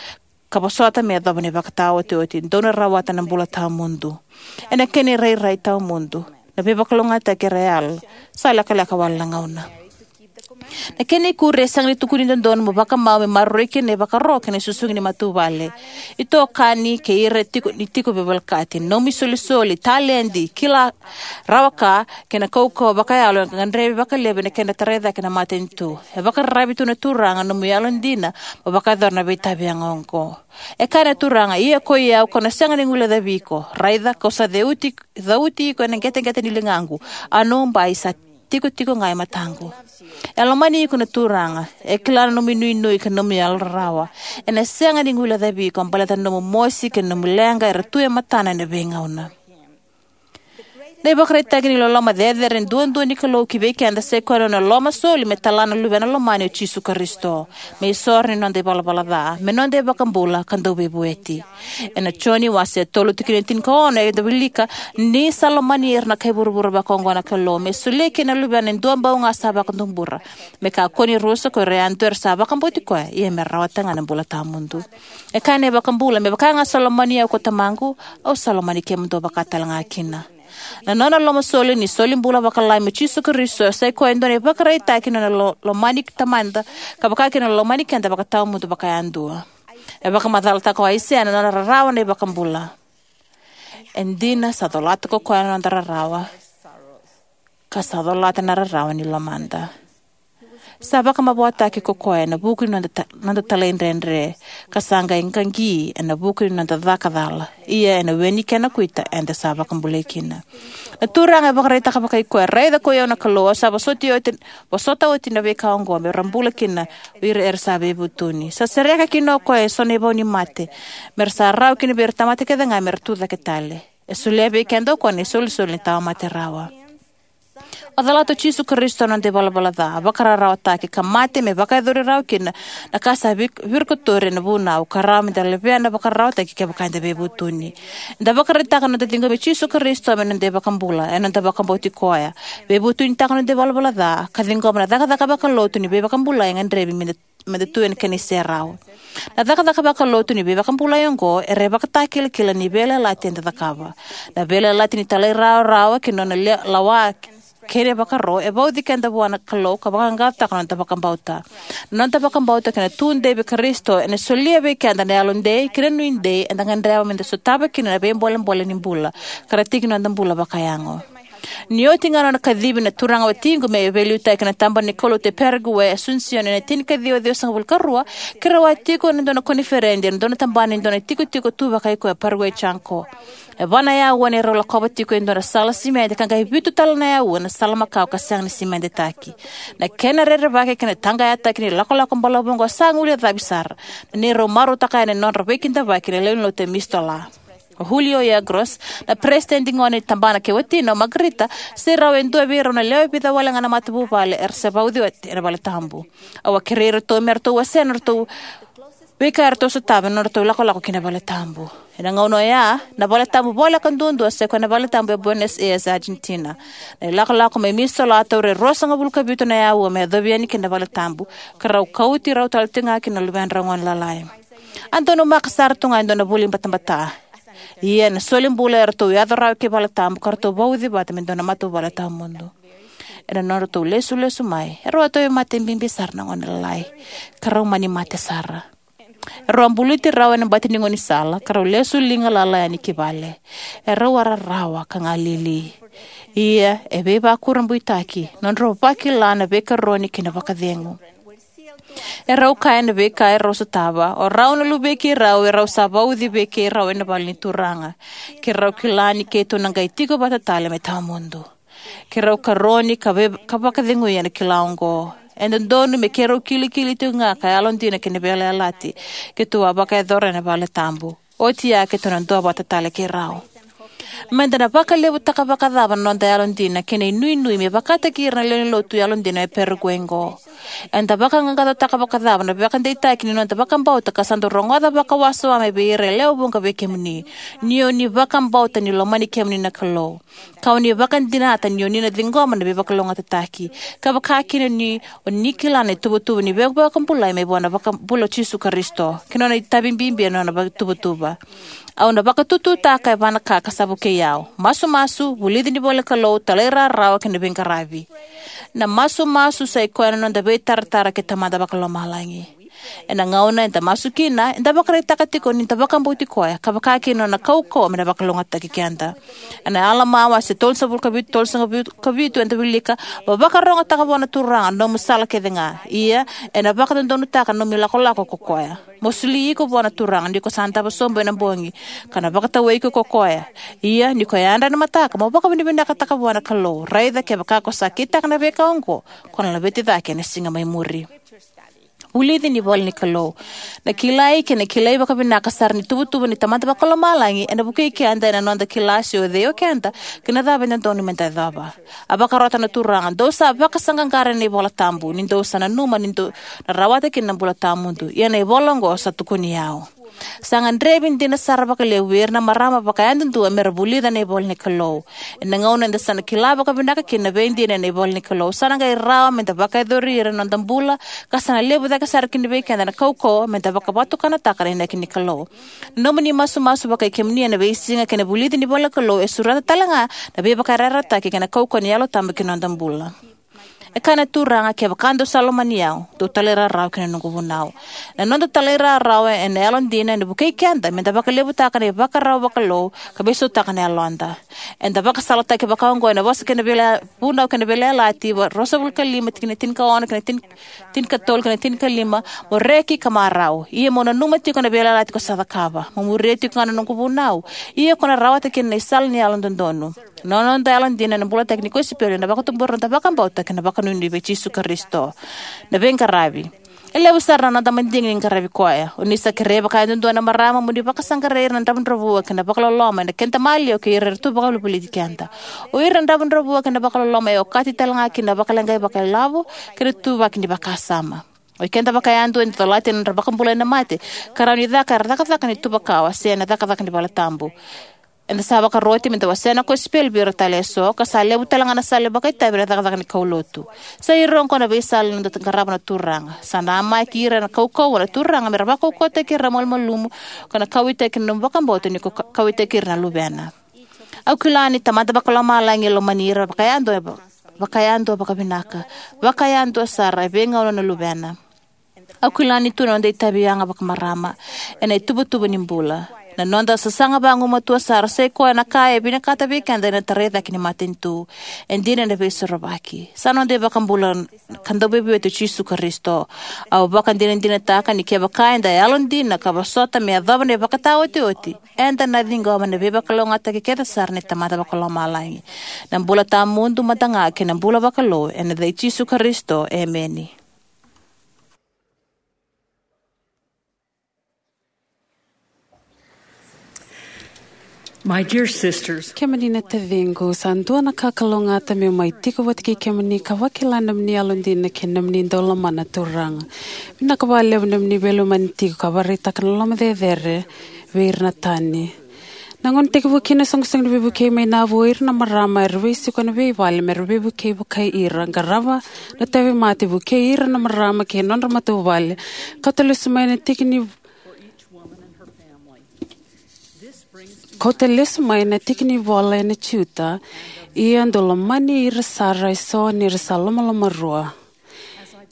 ka vosota me yacova na ivakataotioti, dou na rawata na bula tawamudu. Ena kena irairai tawamudu, na veivakalougatataki era yala, sa lekaleka wale na gauna. Na kena ikuri, e sega ni tukuni dodonu mo vakamau me maroroi kina na ivakaro kei na susugi ni matavuvale, itokani kei ira tiko ni tiko veivolekati. Nomu isolisoli, taledi, kila, rawa ka, kei na kaukauwa vakayalo e gadrevi vakalevu ena kena tarai cake na matanitu. E vakararavi tu na Turaga nomu yalodina mo vakayacora na veitavi yaga oqo. E kaya na Turaga, ia koi au kau na sega ni guilecavi iko. Raica, kau sa ceuti, cauti iko ena qeteqete ni ligaqu, a nomu bai sa tikotiko ga e mataqu. E lomani iko na Turaga. E kila na nomu inuinui kei na nomu yalorarawa. Ena sega ni guilecavi iko baleta na nomu mosi kei na nomu leqa era tu e matana ena veigauna. Na ivakaraitaki ni loloma cecere duadua ni Kalou ki vei keda sai koya na nona lomasoli me tala na Luvena lomani o Jisu Karisito me isoro ni noda ivalavala ca, me noda iVakabula ka Dauveivueti. Ena Joni wase tolu tikina e tinikaono, eda wilika: Ni sa lomani ira na kai vuravura vakaoqo na Kalou, me solia kina na Luvena e dua bau ga sa vakatubura, me kakua ni rusa ko ira yadua era sa vakabauti koya, ia me rawata ga na bula tawamudu. E kaya na iVakabula, me vaka ga sa lomani au ko Tamaqu, au sa lomani kemudou vaka talega kina. Na nona lomasoli ni solibula vakalami o Jisu Karisito sai koya e dua na ivakaraitaki ni nona lo-, lomani Tamada, ka vaka kina na lomani keda vakatawamudu vakayadua. E vakamacalataka o Aisea na nona rarawa na iVakabula: E dina, sa colata ko koya na noda rarawa, ka sa colata na rarawa ni lomada. Sa vakamavoataki ko koya ena vuku ni noda ta-, noda talaidredre, ka sa qai qaqi ena vuku ni noda caka cala. Ia ena we ni kena kuita eda sa vakabulai kina. Na Turaga e vakaraitaka vakai koya: Raica, koi au na Kalou, au sa vosoti oti, vosota oti na veika oqo me ra bula kina o ira era sa veivutuni. Sa sereka kina o koya eso na ivau ni mate, me ra sa rawa kina vei ira na tamata kece ga me ra tucake tale. E solia vei keda o koya na isolisoli ni tawamate rawa. A colata o Jisu Karisito na noda ivalavala ca, a vakararawataki ka mate me vakayacori rawa kina na ka sa vik-, virikotori ena vunau, ka rawa meda levea na vakararawataki kevaka eda veivutuni. Eda vakaraitaka na noda ciqomi Jisu Karisito me noda iVakabula ena noda vakabauti koya, veivutunitaka na noda ivalavala ca, ka ciqoma na cakacaka vakalotu ni veivakabulai e gadrevi meda meda tu ena kena iserau. Na cakacaka vakalotu ni veivakabulai oqo era ivakitakilakila ni veiyalayalati eda cakava. Na veiyalayalati ni talairawarawa kei na nona le-, lawa kei na ivakaro e vauci keda vua na Kalou ka vaqaqacotaka na noda vakabauta. Na noda vakabauta kei na tudei vei Karisito ena solia vei keda na yalodei kei na nuidei eda gadreva meda sotava kina na veibolebole ni bula ka ra tiki ni noda bula vakayago. Ni oti ga na nona kacivi na turaga watiqu me veiliutaki ena Tabana ni Kaulotu e Paraguay, Asuncion, ena tinikaciwa ciwasagavulu ka rua, keirau a tiko ena dua na koniferedi ena dua na tabana ni dua na itikotiko tu vakai koya e Paraguay, Chaco. E va na auwa neirau lakova tiko e dua na sala simede ka qai vitu tale na auwa ena sala makawa ka sega ni simedetaki. Na kena rerevaki kei na taqayataki ni lakolako balavu oqo sa guilecavi sara na neirau marautaka yani na nodra veikidavaki na lewe ni lotu e Mistola. O Julio Yegros, na peresitedi gone ni tabana, kei watina o Margarita, sai rau e dua vei rau na lewe vica wale ga na matavuvale era sa vauci oti ena valetabu. Au a kerei iratou me ratou wasea na nodratou veika eratou sotava ena nodratou lakolako ki na valetabu. Ena gauna oya, na valetabu voleka duadua sai koya na valetabu e Buenos Aires, Argentina. Na ilakolako mai Mistola a taura e ruasagavulu ka vitu na auwa me yacovi yani ki na valetabu, ka rau kauti rau tale tiko ga kina na luvedrau gone lalai. A donumaka sara tu ga e dua na vuli batabata. Ia na solibula eratou yaco rawa ki valetabu ka ratou vauci vata me dua na matavuvale tawamudu. Ena nodratou lesulesu mai, erau a tauvimate bibi sara na gone lalai, ka rau mani mate sara. Erau a buluti rau ena bati ni gaunisala ka rau lesu liga lala yani ki vale. Erau a rarawa ka galili. Ia e veivakurabuitaki na nodrau vakila na veikaroni kei na vakacegu. Erau kaya na veika erau sotava, o rau na luvei keirau erau sa vauci vei keirau ena vale ni Turaga. Keirau kila ni keitou na qai tiko vata tale me tawamudu. Keirau karoni ka vei-, ka vakacegui ena kila oqo. E dodonu me keirau kilikili tiko ga ka yalodina ki na veiyalayalati keitou a vakayacora ena valetabu. Oti ya keitou na duavata tale kei rau. Meda na vakalevutaka vakacava na noda yalodina kei na inuinui me vakataki ira na lewe ni lotu yalodina e Paraguay oqo? Eda vakaqaqacotaka vakacava na veivakadeitaki ni noda vakabauta ka sa dau rogoca vakawasoma mai vei ira e lewe vuqa vei kemuni, ni o ni vakabauta ni lomani kemuni na Kalou, ka o ni vakadinata ni o ni na ciqoma na veivakalougatataki, ka vaka kina ni o ni kila na ituvatuva ni veivakabulai mai vua na iVakabula o Jisu Karisito kei na nona itavi bibi ena nona ituvatuva. Au na vakatututaka e va na ka ka sa vukei au: masumasu, vulici ni ivolanikalou, talairawarawa kei na veiqaravi. Na masumasu sa i koya na noda veitaratara kei Tamada Vakalomalagi. Ena gauna eda masu kina, eda vakaraitaka tiko ni da vakabauti koya, ka vaka kina na nona kaukauwa me na vakalougatataki keda. Ena Alama wase tolusagavulu ka vitu, tolusagavulu ka vitu, eda wilika: "Mo vakarogotaka vua na Turaga na nomu sala kece ga, ia ena vakadodonutaka na nomu ilakolako ko koya. Mo soli iko vua na Turaga ni ko sa davo sobu ena bogi, ka na vakatawai iko ko koya. Ia ni ko yadra ena mataka, mo vakavinavinakataka vua na Kalou. Raica kevaka ko sa kitaka na veika oqo, ko na laveti cake ena siga mai muri." Vulici ni ivola ni Kalou. Na kilai kei na kilai vakavinaka sara ni tuvatuva ni Tamada Vakalomalagi ena vukei keda ena noda kila se o cei o keda kei na cava e dodonu meda yacova. A vakarota na Turaga: "Dou sa vakasaqaqara ena iVola Tabu, ni dou sa nanuma ni dou na rawata kina na bula tawamudu. Ia na ivola oqo sa tukuni au." Sa gadrevi dina sara vakalevu vei ira na marama vakayadudua me ra vulica na ivola ni Kalou. Ena gauna eda sa na kila vakavinaka kina na veidina ena ivola ni Kalou, sa na qai rawa meda vakayacori ira ena noda bula, ka sa na levu cake sara kina vei keda na kaukauwa meda vakavatukanataka na inaki ni Kalou. Na nomuni masumasu vakai kemuni ena veisiga kei na vulici ni ivola ni Kalou e sureta tale ga na veivakayarayarataki kei na kaukauwa ni Yalo Tabu ki na noda bula. E kaya na Turaga: "Kevaka dou sa lomani au, dou talairawarawa ki na noqu vunau." Na noda talairawarawa ena yalodina ena vukei keda meda vakalevutaka na ivakarau vakalou ka veisautaka na yaloda. Eda vakasalataki vaka oqo ena Vosa kei na Veiya-, Vunau kei na Veiyalayalati, va-, ruasagavulu ka lima, tikina tinikaono kei na tin-, tinikatolu kei na tinikalima: "Mo reki ka marau, ia mo nanuma tiko na veiyalayalati ko sa cakava. Mo muria tiko ga na noqu vunau, ia ko na rawata kina na isala ni yalododonu." Na noda yalodina ena bulataki ni kosipeli ena vakatubura na noda vakabauta kei na vakanuinui vei Jisu Karisito. Na veiqaravi. E levu sara na noda madigi ni qaravi koya. O ni sa kerei vakayadudua na marama mo ni vakasaqarai ira na dravudravua kei na vakaloloma ena keda maliwa kei ira era tu vakavolivoliti keda. O ira na dravudravua kei na vakaloloma e okati tale ga kina na vakaleqai vakailavo kei na ituvaki ni vakasama. O ikeda vakayadua eda colata na nodra vakabulai na mate ka rawa ni caka era cakacaka ni tuva kawa se na cakacaka ni valetabu. Eda sa vakaroti meda wasea na kosipeli vei ira tale eso, ka sa levu tale ga na sala e vakaitavi ena cakacaka ni kaulotu. Sa ira oqo na veisala ni noda qarava na Turaga. Sa namaki ira ena kaukauwa na Turaga me ra vakaukauwataki ira na malumalumu, ka na kauwaitaki na nomu vakabauta ni ko ka-, kauwaitaki ira na luvena. Au kila ni Tamada Vakalomalagi e lomani ira vakayadua, vakayadua vakavinaka, vakayadua sara e veigauna na luvena. Au kila ni tu na noda itavi yaga vakamarama ena ituvatuva ni bula. Na noda sasaga vagumatua sara sai koya na ka e vinakata vei keda ena tarai cake ni matanitu. E dina ena Veisorovaki. Sa noda iVakabula ka Dauveivueti o Jisu Karisito. Au vakadinadinataka ni kevaka eda yalodina ka vosota me yacova na ivakataotioti, eda na ciqoma na veivakalougatataki kece sara ni Tamada Vakalomalagi. Na bula tawamudu mada ga kei na bula vakalou, ena yaca i Jisu Karisito, emeni. My dear sisters, kemuni na taciqu, sa dua na ka kalougata meu mai tiko vata kei kemuni ka vakila na nomuni yalodina kei na nomuni dau lomana na Turaga. Vinaka vakalevu na nomuni veilomani tiko ka vakaraitaka na loloma cecere vei ira na tani. Na gauna tekivu kina na soqosoqo ni veivukei mai Nauvoo, o ira na marama era veisiko ena veivale me ra veivukei vakai ira, qarava na tauvimate, vukei ira na marama kei na nodra matavuvale. Kauta lesu mai na tiki ni, kauta lesu mai na tiki ni ivola ena Jiuta, ia dou lomani ira sara eso ni ra sa lomalomarua.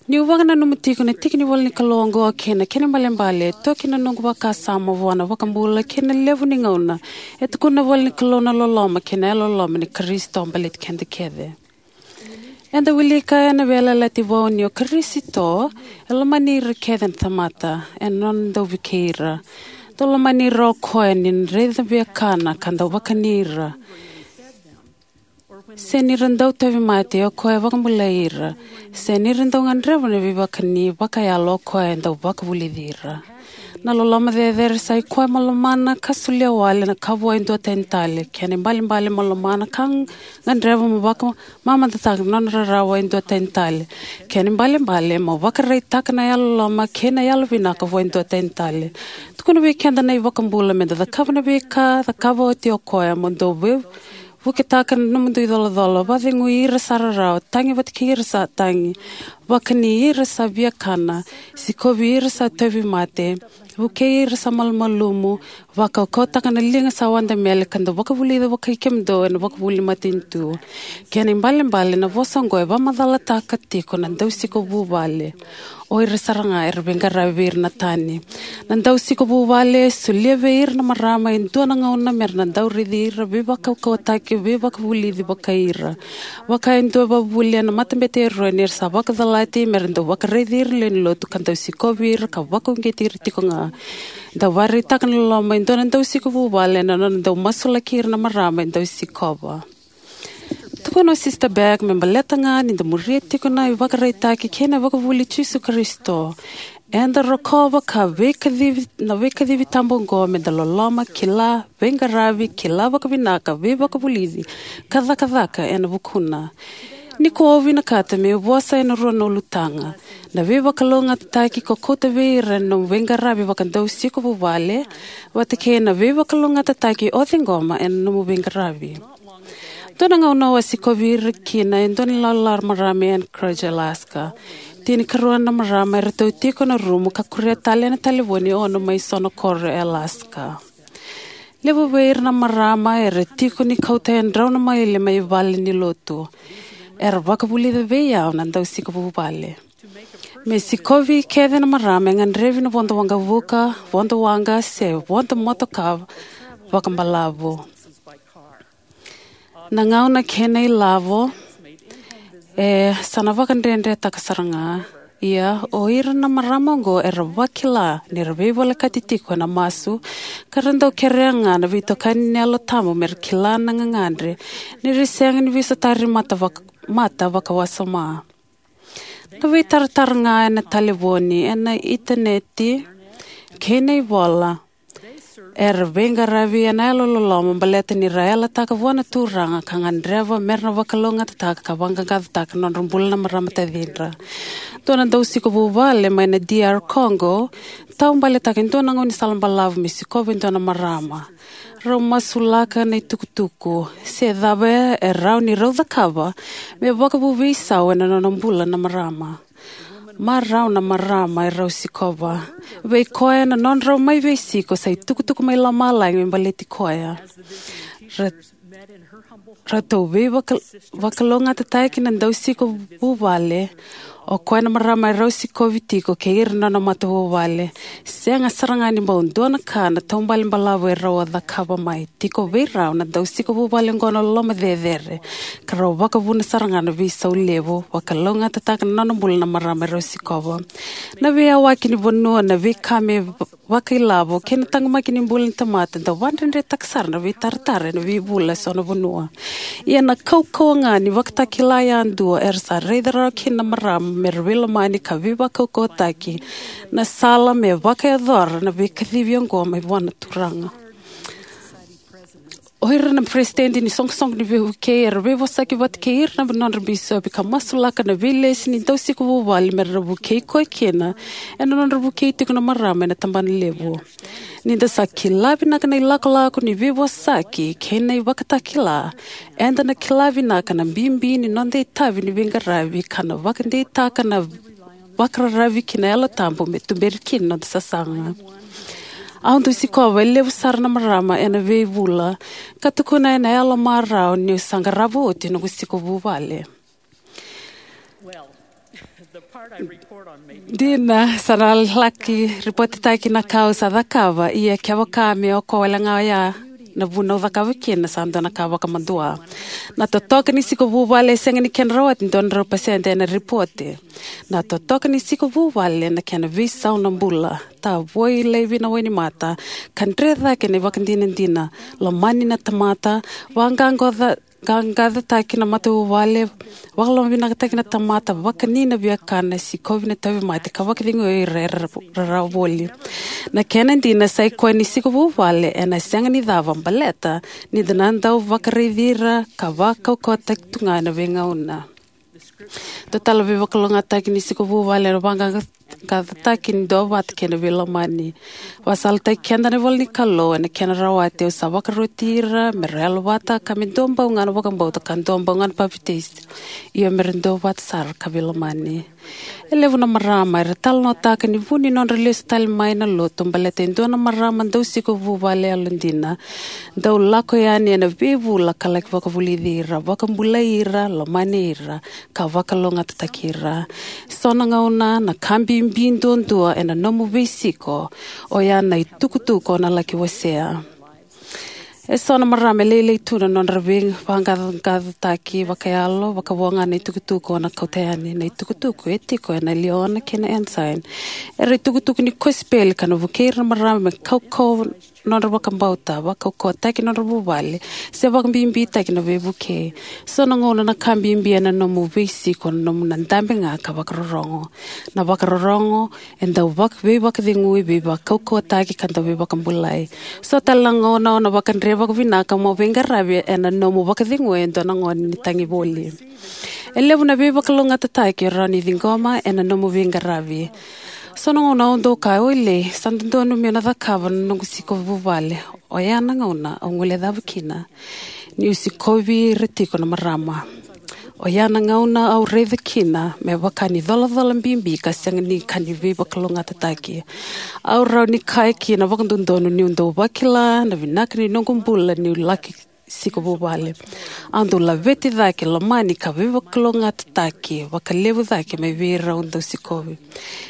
Niu vakananuma tiko na tiki ni ivola ni Kalou oqo kei na kena ibalebale, e toki na noqu vakasama vua na iVakabula kei na levu ni gauna e tukuna na ivola ni Kalou na loloma kei na yalololoma ni Karisito baleti keda kece. Eda wilika ena Veiyalayalati Vou ni o Karisito e lomani ira kece na tamata ena nona dau vukei ira. Dau lomani ira o koya ni na raica viakana ka dau vakani ira. Se ni ra dau tauvimate, o koya e vakabulai ira. Se ni ra dau gadreva na veivakani vakayalo, o koya e dau vakavulici ira. Na loloma cecere sai koya mo lomana ka solia wale na ka vua e dua tani tale. Kena ibalebale mo lomana ka gadreva mo vakamamadataka na nona rarawa e dua tani tale. Kena ibalebale mo vakaraitaka na yalololoma kei na yalovinaka vua e dua tani tale. Tukuna vei keda na iVakabula meda cakava na veika cakava oti o koya, mo dou vei vuketaka na nomudou icolacola, vakacegui ira sa rarawa, tagi vata kei ira sa tagi, vakani ira sa viakana, sikovi ira sa tauvimate, Vukei ira sa malumalumu, vakaukauwataka na liga sa wadamele, ka dau vakavulica vakai kemudou ena vakavuli matanitu. Kena ibalebale, na vosa oqo e vakamacalataka tiko na dausiko vuvale. O ira sara ga era veiqaravi vei ira na tani. Na dausiko vuvale e solia vei ira na marama e dua na gauna mera na dau raici ira, veivakaukauwataki, veivakavulici vakai ira. Vaka e dua e vakavuvuli ena matabete e Eroni, era sa vakacalati mera dau vakaraici ira lewe ni lotu ka dau sikovi ira ka vakauqeti ira tiko ga. Dau vakaraitaka na loloma e dua na dausiko vuvale ena nona dau masulaki ira na marama e dau sikova. Tukuna o Sisita Beck me baleta ga ni da muria tiko na ivakaraitaki kei na ivakavuvuli i Jisu Karisito, eda rokova ka veikacivi, na veikacivi tabu oqo, me da loloma, kila, veiqaravi, kila vakavinaka, veivakavulici, ka cakacaka ena vukuna. Nikua au vinakata meu vosa ena rua na ulutaga: na veivakalougatataki ko kauta vei ira ena nomu veiqaravi vakadausiko vuvale, vata kei na veivakalougatataki o ciqoma ena nomu veiqaravi. Dua na gauna au a sikovi ira kina e dua na ilawalawa marama e Anchorage, Alaska. Tinikarua na marama eratou tiko ena rumu ka kuria tale ena talevoni e ono mai so na koro e Alaska. Levu vei ira na marama era tiko ni kauta e drau na maile mai vale ni lotu. Era vakavulica vei au na dausiko vuvale. Me sikovi kece na marama e gadrevi na vodo waqavuka, vodo waqa, se vodo motoka vakabalavu. Na gauna kei na ilavo e sa na vakadredretaka sara ga. Ia, o ira na marama oqo era vakila ni ra veivolekati tiko ena masu, ka ra dau kerea ga na veitokani ni Yalo Tabu me ra kila na gagadre, ni ra sega ni veisotari mata vaka, mata vakawasoma. Na veitaratara ga ena talevoni, ena initaneti, kei na ivola, era veiqaravi ena yalololoma baleta ni ra yalataka vua na Turaga ka gadreva me ra na vakalougatataka ka vaqaqacotaka na nodra bula na marama tacidra. Dua na dausiko vuvale mai na D R Congo taubaletaka e dua na gaunisala balavu me sikova e dua na marama. Rau masulaka na itukutuku se cava e rawa ni rau cakava me vakavu veisau ena nona bula na marama. Marau na marama e rau sikova. Vei koya, na nodrau mai veisiko sa itukutuku mai lomalagi me baleti koya. Ra, ratou veivaka, vakalougatataki na dausiko vuvale. O koya na marama e rau sikovi tiko kei ira na nona matavuvale. Sega sara ga ni bau dua na ka na taubale balavu e rau a cakava mai. Tiko vei rau na dausiko vuvale oqo na loloma cecere, ka rau vakavuna sara ga na veisau levu, vakalougatataka na nona bula na marama e rau sikova. Na veiyawaki ni vanua, na veika me vakailavo, kei na taqomaki ni bula ni tamata dau vakadredretaka sara na veitaratara ena veivula eso na vanua. Ia na kaukauwa ga ni vakatakila yadua era sa raica rawa kina na marama me ra veilomani ka veivakaukauwataki, na sala me vakayacora na veikacivi oqo mai vua na Turaga. O ira na peresitedi ni soqosoqo ni veivukei era veivosaki vata kei ira na nodra bisopi ka masulaka na veilesi ni dausiko vuvale me ra vukei koya kina ena nodra vukei tiko na marama ena tabana levu. Ni da sa kila vinaka na ilakolako ni veivosaki kei na ivakatakila, eda na kila vinaka na bibi ni noda itavi ni veiqaravi ka na vakadeitaka na vakararavi ki na Yalo Tabu me tuberi kina noda sasaga. Au dau sikova e levu sara na marama ena veivula ka tukuna ena yalo marau niu sa qarava oti noqu siko vuvale. Dina, sa na laki ripotitaki na ka au sa cakava, ia kevaka me o koya wale ga oya na vuna au cakava kina, sa dua na ka vakamadua. Na totoka ni siko vuvale e sega ni kena rawati dua na drau pasede ena ripote. Na totoka ni siko vuvale na kena veisau na bula, tavoi laivi na wainimata, ka dre cake na ivakadinadina, lomani na tamata, vaqaqacotaki na matavuvale, vakalomavinakataki na tamata, vakani na viakana, sikovi na tauvimate, ka vakacegui ira era rarawa voli. Na kena dina, sa i koya ni siko vuvale ena sega ni cava baleta ni da na dau vakaraici ira ka vakaukauwataki tu ga ena veigauna. Dua tale na veivakalougatataki ni siko vuvale ena vaqaqa, vaqaqacotaki ni duavata kei na veilomani. Vakasalataki keda na ivola ni Kalou ena kena rawati: Au sa vakaroti ira me ra yalovata, ka me duabau ga na vakabauta, ka duabau ga na papitaiso, io, me ra duavata sara ka veilomani. E levu na marama era talanoataka ni vu ni nodra lesu tale mai na lotu baleta e dua na marama dausiko vuvale yalodina dau lako yani ena veivula ka laki vakavulici ira, vakabulai ira, lomani ira, ka vakalougatataki ira. So na gauna na ka bibi duadua ena nomu veisiko oya na itukutuku o na laki wasea. E so na marama e lailai tu na nodra veivaqaqacotaki vakayalo, vakavo ga na itukutuku o na kauta yani. Na itukutuku e tiko ena Liahona kei na Ensign era itukutuku ni kosipeli ka na vukei ira na marama me kaukauwa nodra vakabauta, vakaukauwataki nodra vuvale, se vakabibitaki na veivukei. So na gauna na ka bibi ena nomu veisiko na nomu na dabe ga ka vakarorogo. Na vakarorogo e dau vak-, veivakacegui, veivakaukauwataki, ka dau veivakabulai. So tale na gauna o na vakadre vakavinaka mo veiqaravi ena nomu vakacegui e dua na gone ni tagivoli. E levu na veivakalougatataki o rawa ni ciqoma ena nomu veiqaravi. So na gauna au dau kaya, "Oilei, sa dodonu meu na cakava na noqu siko vuvale." Oya na gauna au guilecava kina niu sikovi ira tiko na marama. Oya na gauna au raica kina me vaka ni colacola bibi ka sega ni ka ni veivakalougatataki. Au rawa ni kaya kina vakadodonu niu dau vakila na vinaka ni noqu bula niu laki siko vuvale. Au dau laveti cake, lomani, ka veivakalougatataki vakalevu cake mai vei ira au dau sikovi.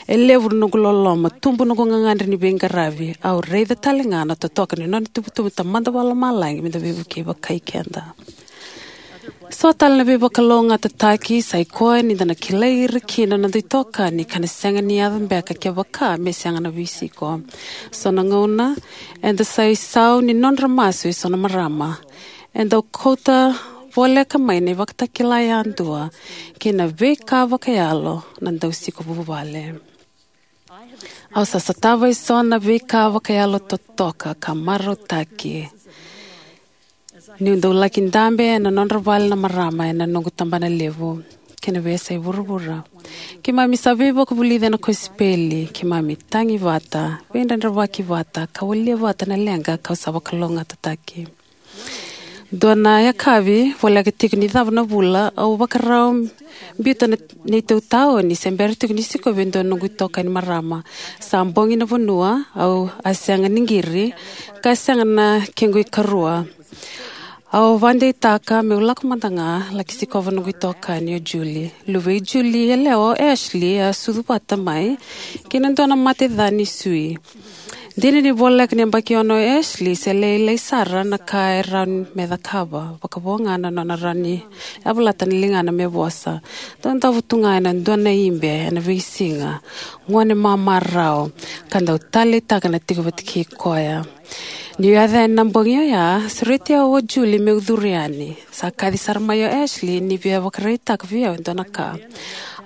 E levu na noqu loloma, tubu noqu gagadre ni veiqaravi. Au raica tale ga na totoka ni nona itubutubu Tamada Vakalomalagi me da veivukei vakai keda. So tale na veivakalougatataki sa i koya ni da na kilai ira kina na noda itokani ka na sega ni yaco beka kevaka me sega na veisiko. So na gauna eda sa isau ni nodra masu e so na marama. E dau kauta voleka mai na ivakatakila yadua kei na veika vakayalo na dausiko vuvale. Au sa sotava e so na veika vakayalo totoka ka marautaki niu dau laki dabe ena nodra vale na marama ena noqu tabana levu kei na veiyasai vuravura. Keimami sa veivakavulici ena kosipeli, keimami tagi vata, veidredrevaki vata, ka walia vata na leqa kau sa vakalougatataki. Dua na yakavi, voleka tiko ni cava na vula, au vakarau biuta na neitou taoni se bera tiko ni sikovi e dua na noqu itokani marama. Sa bogi na vanua, au a sega ni qiri, ka sega na kequ ikarua. Au vakadeitaka meu lako mada ga laki sikova noqu itokani o Julie. Luvei Julie yalewa o Ashley a sucu vata mai kei na dua na mate ca ni sui. Dina ni voleka ni yabaki ono o Ashley, se lailai sara na ka e rawa me cakava, vakavo ga na nona rawa ni yavalata na ligana me vosa. Dau davo tu ga ena dua na ibe ena veisiga, gone mamarau, ka dau taleitaka na tiko vata kei koya. Niu yaco yani na bogi oya, sureti au o Julie meu curu yani. Sa kaci sara mai o Ashley ni via vakaraitaka vei au e dua na ka.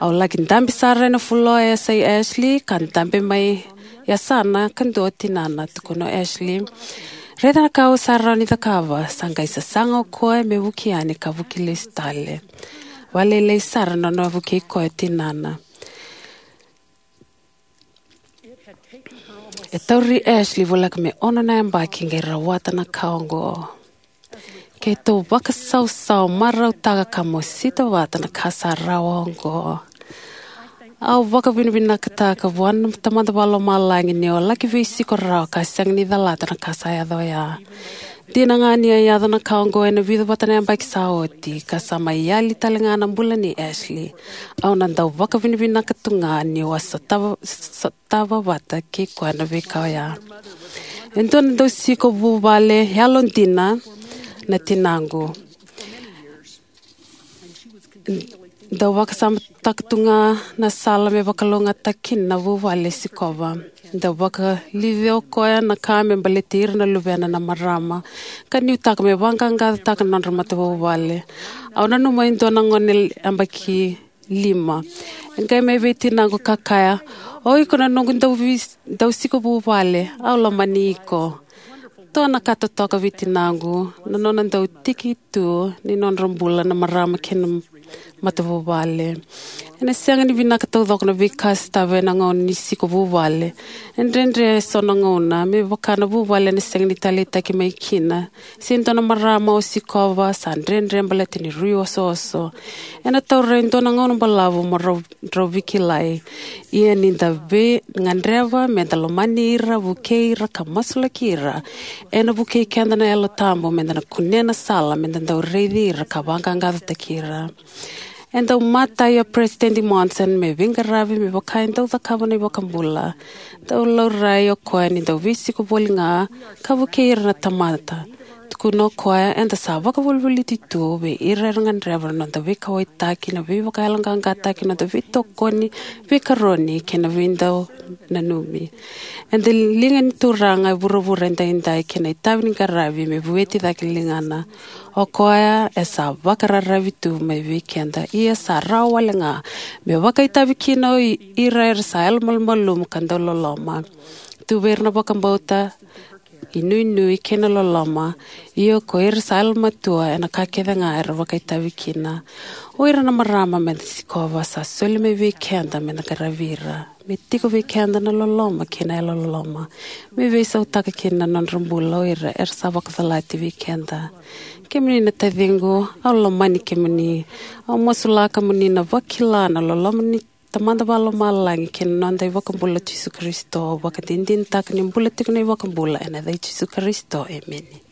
Au laki dabe sara ena fuloa e yasai Ashley, ka dabe mai yasana kadua o tinana. Tukuna o Ashley, "Raica na ka au sa rawa ni cakava." Sa qai sasaga o koya me vuki yani ka vuki lesu tale. Vakalailai sara na nona vukei koya o tinana. E tauri Ashley voleka me ono na yabaki qai rawata na ka oqo. Keitou vakasausau, marautaka ka mosita vata na ka sa rawa oqo. Au vakavinavinakataka vua na Tamada Vakalomalagi ni o laki veisiko rawa ka sega ni calata na ka sa yaco oya. Dina ga ni a yaco na ka oqo ena vica vata na yabaki sa oti, ka sa mai yali tale ga na bula nei Ashley, au na dau vakavinavinaka tu ga niu a sotava, sotava vata kei koya na veika oya. E dua na dausiko vuvale yalodina na tinaqu. Dau vakasamataka tu ga na sala me vakalougatataki kina na vuvale e sikova. Dau vakaliuci o koya na ka me baleti ira na luvena na marama, ka nuitaka me vaqaqacotaka na nodra matavuvale. Au nanuma e dua na gone yabaki lima e qai mai vei tinaqu ka kaya, "O iko na noqu dau vis-, dausiko vuvale, au lomani iko." Dua na ka totoka vei tinaqu na nona dau tiki tu ni nodra bula na marama kei na matavuvale. Ena sega ni vinaka taucoko na veika e sotava ena gauna ni siko vuvale. E dredre eso na gauna, me vaka na vuvale ena sega ni taleitaki mai kina. Se dua na marama o sikova, sa dredre baleta ni rui osooso. Ena taura e dua na gauna balavu mo rau, rau veikilai. Ia ni da veigadreva, me da lomani ira, vukei ira, ka masulaki ira. Ena vukei keda na Yalo Tabu, me da na kunea na sala, me da dau raici ira, ka vaqaqacotaki ira. E dau matai o President Monson me veiqaravi me vaka e dau cakava na iVakabula. Dau laurai o koya ni dau veisiko voli ga ka vukei ira na tamata. Tukuna o koya eda sa vakavolivoliti tu vei ira era gadreva na noda veikauwaitaki, na veivakayaloqaqataki, na noda veitokoni, veikaroni kei na veidau nanumi. Eda liga ni Turaga e vuravura edaidai kei na itavi ni qaravi me vueti cake ligana. O koya e sa vakararavi tu mai vei keda, ia sa rawa wale ga me vakaitavi kina o i-, ira era sa yalomalumalumu ka dau loloma. Tu vei ira na vakabauta, inuinui kei na loloma, ia ko ira sa yalomatua ena ka kece ga era vakaitavi kina. O ira na marama me da sikova sa soli mai vei keda me da qaravi ira. Me tiko vei keda na loloma kei na yalololoma me veisautaka kina na nodra bula o ira era sa vakacalati vei keda. Kemuni na taciqu, au lomani kemuni. Au masulaka mo ni na vakila na loloma ni Tamada Vakalomalagi kei na noda iVakabula o Jisu Karisito. Au vakadinadinataka ni bula tiko na iVakabula ena yaca i Jisu Karisito. Emeni.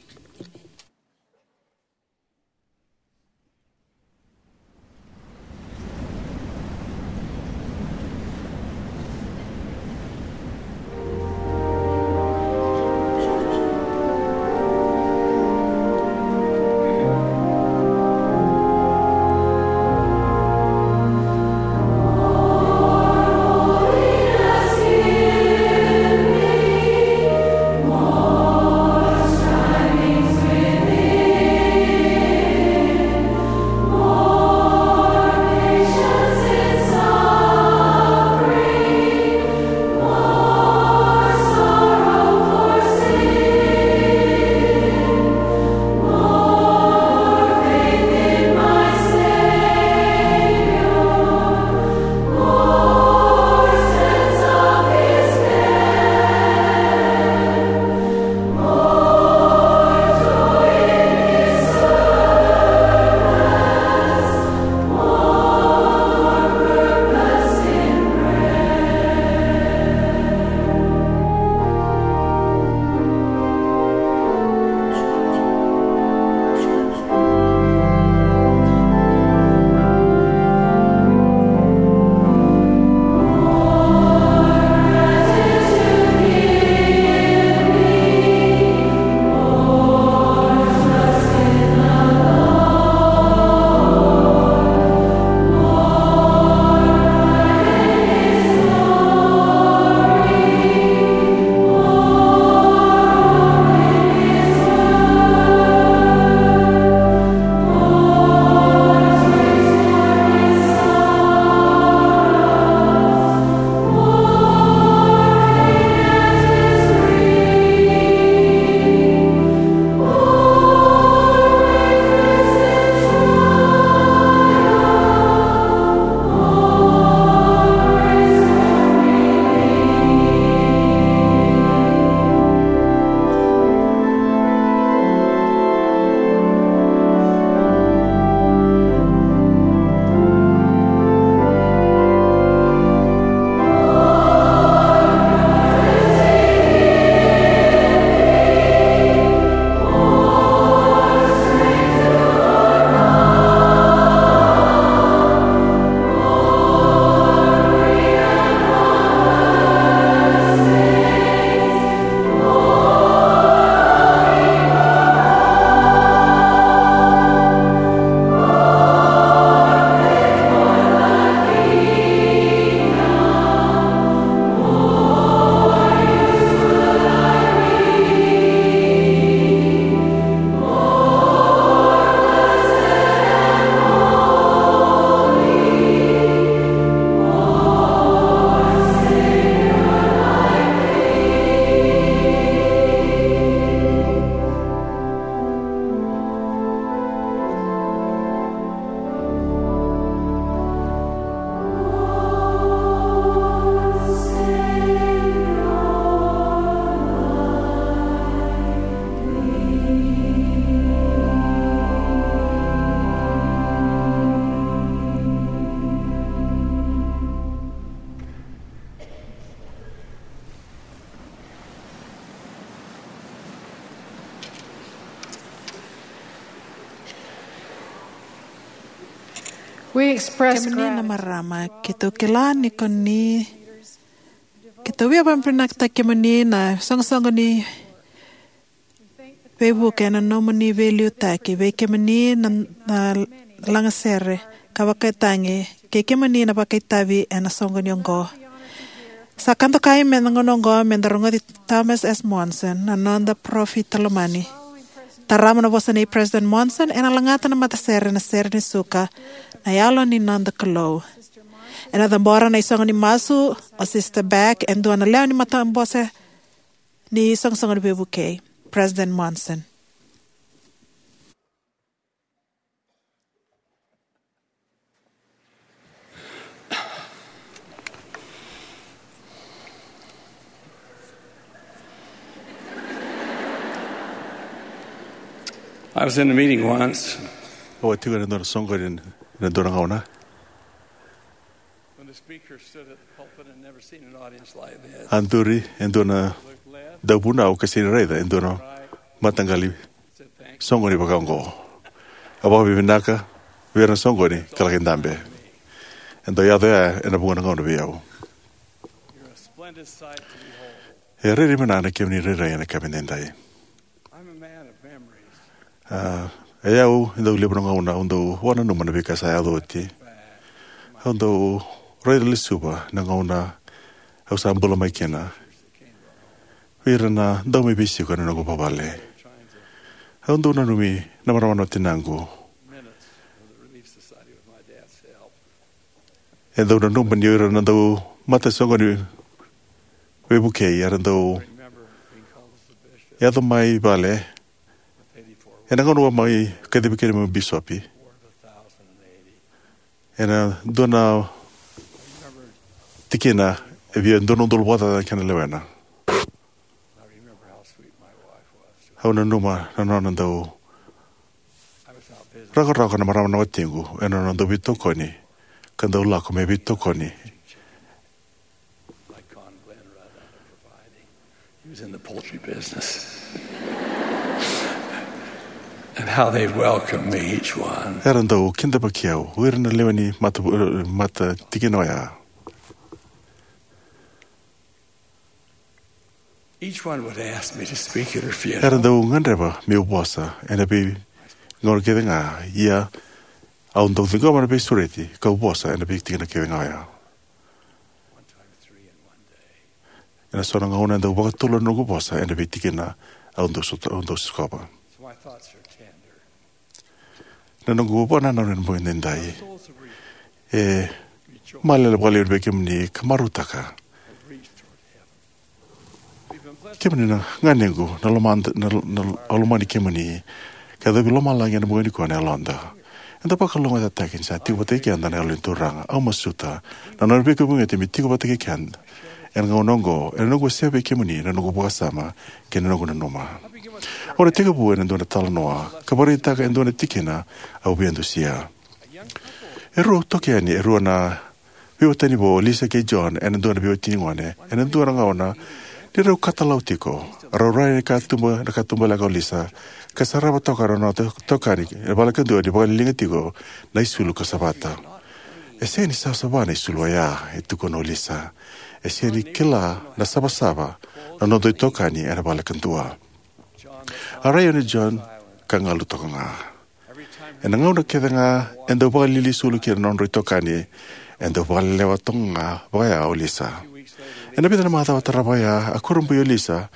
We express Kemuni na gratitude. Marama, keitou kila ni ko ni, keitou via vakavinavinakataki kemuni na soqosoqo ni veivuke ena nomuni veiliutaki vei kemuni na, na lagasere ka vakaitagi kei kemuni na vakaitavi ena soqoni oqo. Sa ka dokai me na gauna oqo me da rogoci Thomas S. Monson, na noda parofita lomani. Tarava na vosa nei President Monson, ena lagata na matasere na sere ni suka, Na Yalo ni Noda Kalou. Ena cabora na isoqo ni masu o Sister Beck, e dua na lewe ni matabose ni soqosoqo ni veivukei. President Monson. I was in a meeting once. Au a tiko ena dua na soqoni ena dua na gauna. When the speaker stood at the pulpit and never seen an audience like this. A duri e dua na dauvunau ka sega ni raica e dua na mataqali soqoni vaka oqo. A vakavinavinaka vei ira na soqoni ka laki dabe. E dau yaco ya ena vuqa na gauna vei au. You're a splendid sight to behold. E rairai vinaka na kemuni rairai ena kena edaidai. I'm a man of memories. A, e au, e dau levu na gauna au dau vakananuma na veika sa yaco oti. Au dau raica lesuva na gauna au sa bula mai kina vei ira na dau mai veisiko ena noqu vuvale. Au dau nanumi na marama na tinaqu. E dau nanuma ni o ira na dau matasoqoni veivukei era dau yaco mai vale ena gauna au a mai kacivi kina meu bisopi. Ena dua na tikina e via dua na udolu vakacaca na kena lewena. Au nanuma na nona dau rakorako na marama na watiqu ena nona dau veitokoni ka dau lako me veitokoni. He was in the poultry business. And how they welcomed me, each one. Era dau kidavaki au, o ira na lewe ni mata, mata tikina oya. Each one would ask me to speak at her funeral. Era dau gadreva meu vosa ena veigauna kece ga, ia au dau ciqoma na veisureti kau vosa ena veitikina kece ga oya. One time three in one day. Ena so na gauna e dau vakatolu na noqu vosa ena veitikina au dau sota, au dau sikova. So my thoughts are tender. Na noqu vakanananu ena bogi edaidai e malele vakalevu vei kemuni ka marautaka. Kemuni na ganequ, na lomada, na, na, au lomani kemuni. Ka yacovi lomalagi ena bogi nikua na yaloda. Eda vakalougatataki ni sa tiko vata kei keda na Yalo ni Turaga. Au masuta na nona veivakauqeti me tiko vata kei keda ena gauna oqo, ena noqu wasea vei kemuni na noqu vakasama kei na noqu nanuma. Au na tekivu ena dua na talanoa ka vakaraitaka e dua na tikina au via dusia. E rua toka yani e rua na veiwatani vou, o Lisa kei John, ena dua na veiwatini gone ena dua na gauna ni rau katalau tiko. Rau rai na katuba, na katubaleka o Lisa ka sarava toka na nona to-, itokani ena vale kadua ni vakaliliga tiko na isulu ka savata. E sega ni savasava na isulu oya, e tukuna o Lisa. E sega ni kila na savasava na noda itokani ena vale kadua. A rai yani o John ka galu toka ga. Ena gauna kece ga e dau vakalili isulu kina na nodrau itokani, e dau vakalelewa toka ga vaka ya o Lisa. Ena vica na macawa tarava oya, a kurabui o Lisa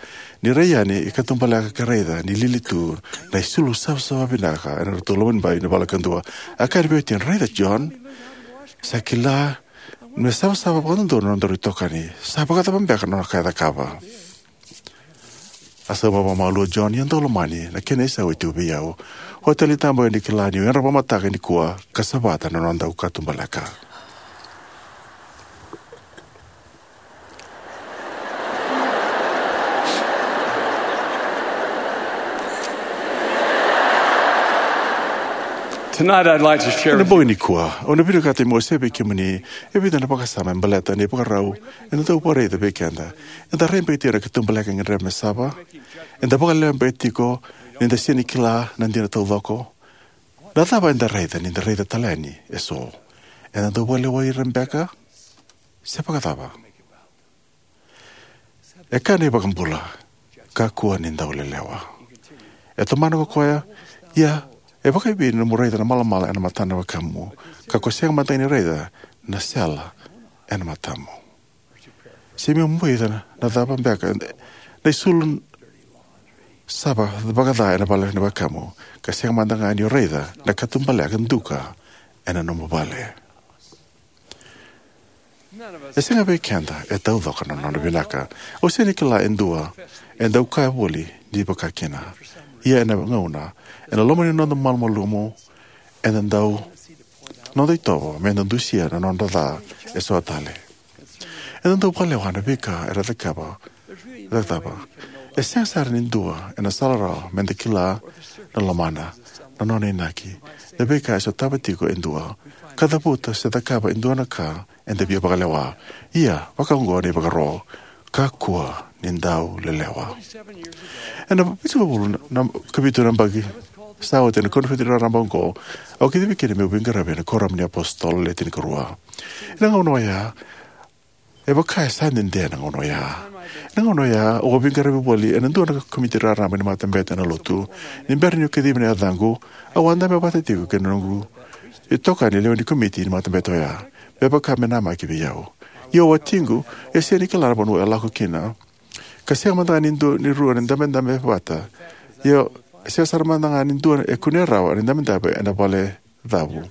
ni rai yani e katubaleka ka raica ni lili tu na isulu savasava vinaka ena nodratou loma ni bai ena vale kadua. A kaya na veiwatini, "Raica, John, sa kila me savasava vakadodonu na nodaru itokani. Sa vakacava beka na nona ka e cakava?" A sauma vakamalua o John, "Ia dou lomani, na kena isau e tiko vei au. Oti tale ni tabaka ni kila niu yadra vakamataka nikua ka savata na nodaru katubaleka." Tonight I'd like to share Ena bogi nikua, au na vinakata meu wasea vei kemuni e vica na vakasama e baleta na ivakarau eda dau vakaraica vei keda. Eda rai beka tiko ena katubaleka e gadreva me sava. Eda vakalewa beka tiko ni da sega ni kila na dina taucoko. Na cava eda raica ni da raica tale yani eso? Ena dau vakalewai ira beka se vakacava? E kaya na iVakabula, kakua ni dau lelewa. E tomana ko koya, ia e vakaevei na nomu raica na malamala ena matana na wekamu, ka ko sega mada ga ni raica na sela ena matamu? Se meu boica na cava beka na isulu sa vakaca ena vale ni wekamu, ka sega mada ga ni o raica na katubaleka duka ena nomu vale? E sega vei keda e taucoko na nona vinaka. Au sega ni kila e dua e dau kaya voli ni vakakina. Ia ena gauna, ena loma ni noda malumalumu, eda dau noda itovo me da dusia na nodra ca e so tale. Eda dau vakalewa na veika era cakava, cakava. E sega sara ni dua ena sala rawa me da kila na lomana, na nona inaki, na veika e sotava tiko e dua, ka cavuta se cakava e dua na ka eda via vakalewa. Ia, vakaoqo na ivakaro: kakua ni dau lelewa. Ena vitusagavulu na, na, ka vitu na yabaki sa oti ena koniferedi raraba oqo, au kacivi kina meu veiqaravi ena Kuoramu ni iApositolo Le Tinikarua. Ena gauna oya, e vaka e sa dede na gauna oya. Ena gauna oya, au a veiqaravi voli ena dua na komiti raraba ni matabete ena lotu. Ni bera niu kacivi na yacaqu, au a dabe vata tiko kei na noqu itokani lewe ni komiti ni matabete oya, me vaka me namaki vei au. Ia o watiqu e sega ni kila na vanua e lako kina, ka sega mada ga ni dua ni rua na idabedabe vata. Ia e sega sara mada ga ni dua e kunea rawa na idabedabe ena vale cavu.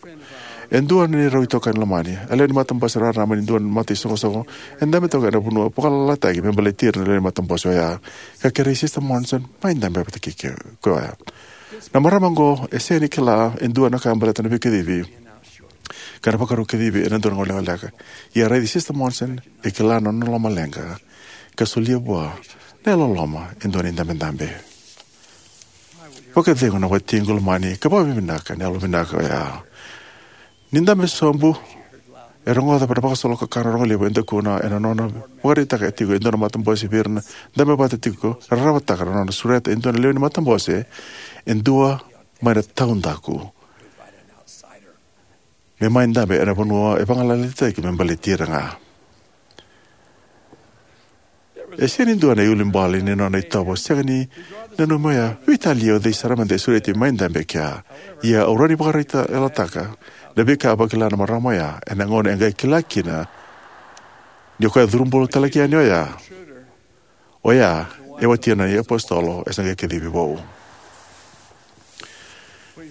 E dua na neirau itokani lomani, a lewe ni matabose raraba ni dua na mataisoqosoqo e dabe toka ena vanua vakalalataki me baleti ira na lewe ni matabose oya, ka kerei Sisita Monson mai dabe vata kei koya. Na marama oqo e sega ni kila e dua na ka baleta na veikacivi ka na vakarau kacivi ena dua na gauna lekaleka. Ia a raici Sisita Monson, e kila na nona lomaleqa, ka solia vua na yalololoma e dua na idabedabe. Vakacegu na watiqu lomani ka vakavinavinaka na yalovinaka oya. Ni dabe sobu, e rogoca na vakasolokakanakana rogo levu e dakuna ena nona vakaraitaka tiko e dua na matabose vei ira na dabe vata tiko, rarawataka na nona sureta e dua na lewe ni matabose, e dua mai na taudaku, me mai dabe ena vanua e vagalalataki me baleti ira ga. E sega ni dua na iulubale ni nona itovo sega ni nanumi oya, veitalia o cei sara mada e sureti mai dabe kea. Ia au rawa ni vakaraitaka na veika a vakila na marama oya ena gauna e qai kila kina ni o koya curubulu talaki yani oya. Oya e watina na iApositolo e sa qai kacivi vou.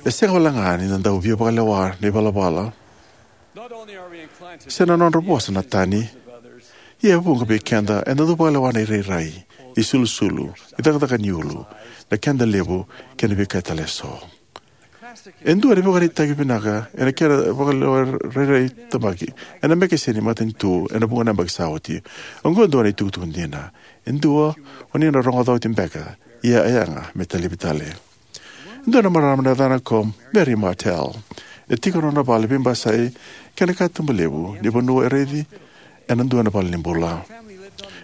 E sega walega ni da dau via vakalewa na ivalavala se na nodra vosa na tani, ia e vuqa vei keda eda dau vakalewa na irairai, isulusulu, icakacaka ni ulu, na keda levu, kei na veika tale eso. E dua na ivakaraitaki vinaka ena kena vakalewa rairai tabaki ena mekeseni matanitu ena vuqa na yabaki sa oti. Oqo e dua na itukutuku dina. E dua o ni na rogoca oti beka, ia e yaga me talevi tale. E dua na marama na yacana ko Mary Martell. E tiko na nona vale veibasai kei na katuba levu ni vanua e raici ena dua na valenibula.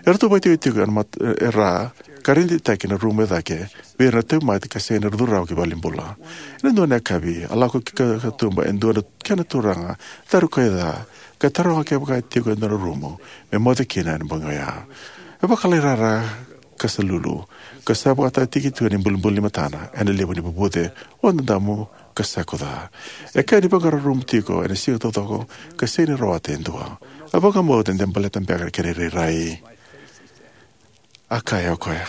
Eratou vakaitikotiko ena mat-, e ra, ka reditaki na rumu e cake vei ira na tauvimate ka sega ni ra curu rawa ki valenibula. Ena dua na yakavi, a lako ki ka-, katuba e dua na kena turaga, caru ka ca, ka taroga kevaka e tiko e dua na rumu me moce kina ena bogi oya. E vakalailai rara ka sa lulu, ka sa vakataka tiko na ibulibuli ni matana ena levu ni vuvuce, o dadamu ka sa kuca. E kaya ni vaqara rumu tiko ena siga taucoko ka sega ni rawata e dua. A vakabauta de baleta beka na kena irairai. A kaya o koya,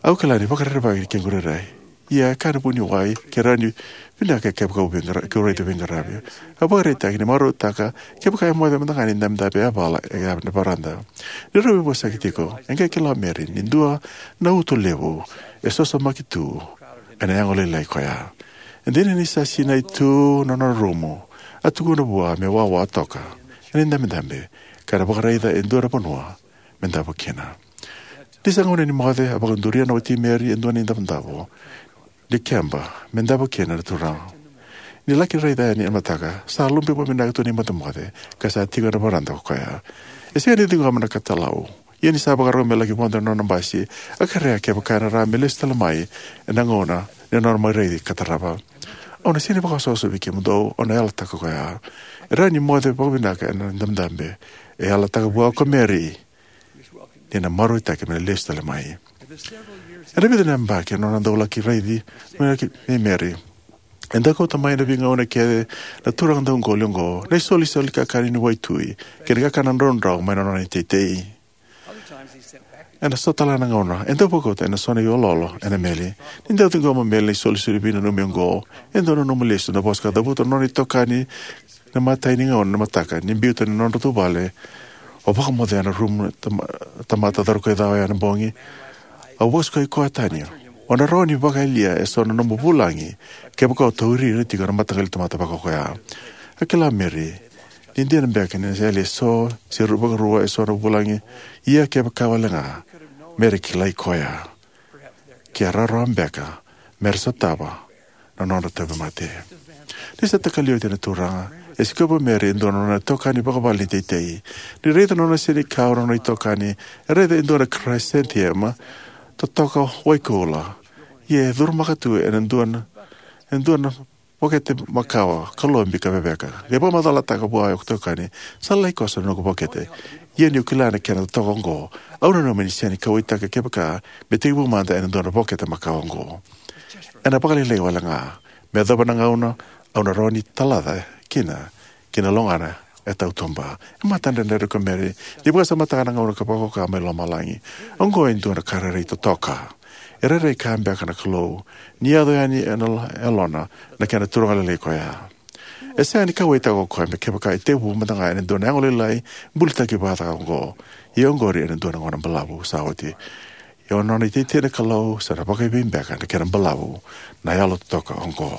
"Au kila ni vakarerevaki ni kequ irairai. Ia e kaya na vuniwai ke rawa ni vinaka kevaka au veiqara-, keu raica veiqaravi." A vakaraitaka ni marautaka kevaka e moce mada ga na idabedabe yavala e ya na varada. Ni rau veivosaki tiko, e qai kila o Mary ni dua na uto levu e sosomaki tu ena yago lailai koya. E dina ni sa sinai tu na nona rumu, a tukuna vua me wawa toka ena idabedabe ka na vakaraica e dua na vanua me davo kina. Ni sa gauna ni moce, a vakaduria na wati Mary e dua na idavodavo ni keba me davo kina na turaga. Ni laki raica yani ena mataka, sa lube vakavinaka tu na imocemoce ka sa tiko ena varada ko koya. E sega ni ciqoma na katalau. Ia ni sa vakarau me laki vodo na nona basi, a kerea kevaka ena rawa me lesu tale mai ena gauna ni nona mai raici ka tarava. Au na sega ni vakaosovasovi kemudou, au na yalataka koya. E rawa ni moce vakavinaka ena dabedabe. E yalataka vua ko Mary ni na marautaki me na lesu tale mai. Ena vica na yabaki, ena nona dau laki raici mai Mary, e dau kauta mai ena veigauna kece na turaga dauqoli oqo na isolisoli kakana ni waitui kei na kakana draudrau mai na nona iteitei. Ena so tale na gauna, e dau vakauta ena so na iloilo ena meli. Ni dau ciqoma Mary na isolisoli veinanumi oqo, e dau nanuma lesu na vosa ka cavuta na nona itokani ena imatai ni gauna ena mataka ni biuta na nodratou vale. O vakamoce ena rumu na tama-, tamata caru ka cawa ena bogi. Au vakasukai koya tani. O na rawa ni vakayalia eso na nomu vulagi kevaka o tauri ira tiko na mataqali tamata vakaoya. A kila Mary ni dina beka ni na yali eso se ru-, vakarua eso na vulagi. Ia kevaka wale ga Mary kilai koya, ke a rawarawa beka me ra sotava na nodra tauvimate. Ni sa takali oti na turaga, e sikova Mary e dua na nona itokani vakavale ni teitei. Ni raica na nona senikau na nona itokani, e raica e dua na chrysanthemum totoka waikoula. Ia e curumaka tu ena dua na, e dua na vokete makawa ka lobi ka veveka. Qai vakamacalataka vua e itokani, sa lailai koso na noqu vokete. Ia niu kila na kena totoka oqo, au nanuma ni sega ni kauwaitaka kevaka me tekivu mada ena dua na vokete makawa oqo. Ena vakalailai wale ga. Me yacova na gauna au na rawa ni talaca kina ki na logana e tautuba. E matadredredre ko Mary ni vakasamataka na gauna ka vakaoka mai lomalagi. Oqo e dua na ka rairai totoka. E rairai ka beka na Kalou ni yaco yani ena yalona na kena turaga lailai koya. E sega ni kauwaitaka o koya me kevaka e tekivu mada ga ena dua na yago lailai bulitaki vata oqo. Ia oqori ena dua na gauna balavu sa oti. Ia o nona iteitei na Kalou sa na vakaevei beka na kena balavu na yalo totoka oqo.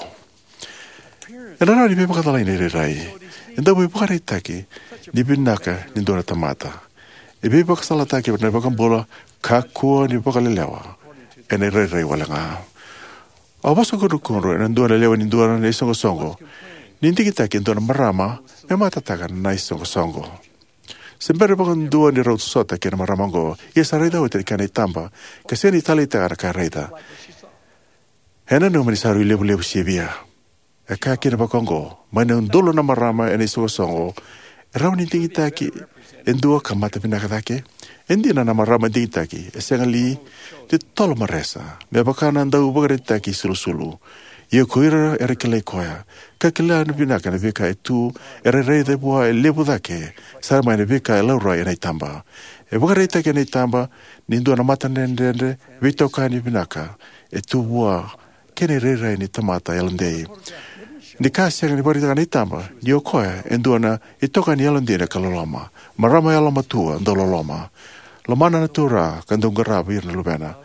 Ena rawa ni veivakacalai na irairai. E dau veivakaraitaki ni vinaka ni dua na tamata. E veivakasalataki na iVakabula, kakua ni vakalelewa ena irairai wale ga. Au vosa kudrukudru ena dua na lewe ni dua na isoqosoqo ni digitaki e dua na marama me matataka na isoqosoqo. Se bera vakadua ni rau sota kei na marama oqo, ia sa raica oti na kena itaba ka sega ni taleitaka na ka e raica. E nanuma ni sa rui levulevu sivia. E kaya kina vakaoqo, mai na udolu na marama ena isoqosoqo, e rawa ni digitaki e dua ka mata vinaka cake. E dina na marama digitaki e sega li ni totolo maresa me vaka na dau vakaraitaki sulusulu. Ia ko ira era kilai koya ka kila ni vinaka na veika e tu, era raica vua e levu cake sara mai na veika e laurai ena itaba. E vakaraitaki ena itaba ni dua na matadredredre veitokani vinaka e tu vua kei na irairai ni tamata yalodei. Ni ka sega ni vakaraitaka na itaba ni o koya e dua na itokani yalodina ka loloma, marama yalomatua dau loloma, lomana na Turaga ka dau qarava ira na luvena.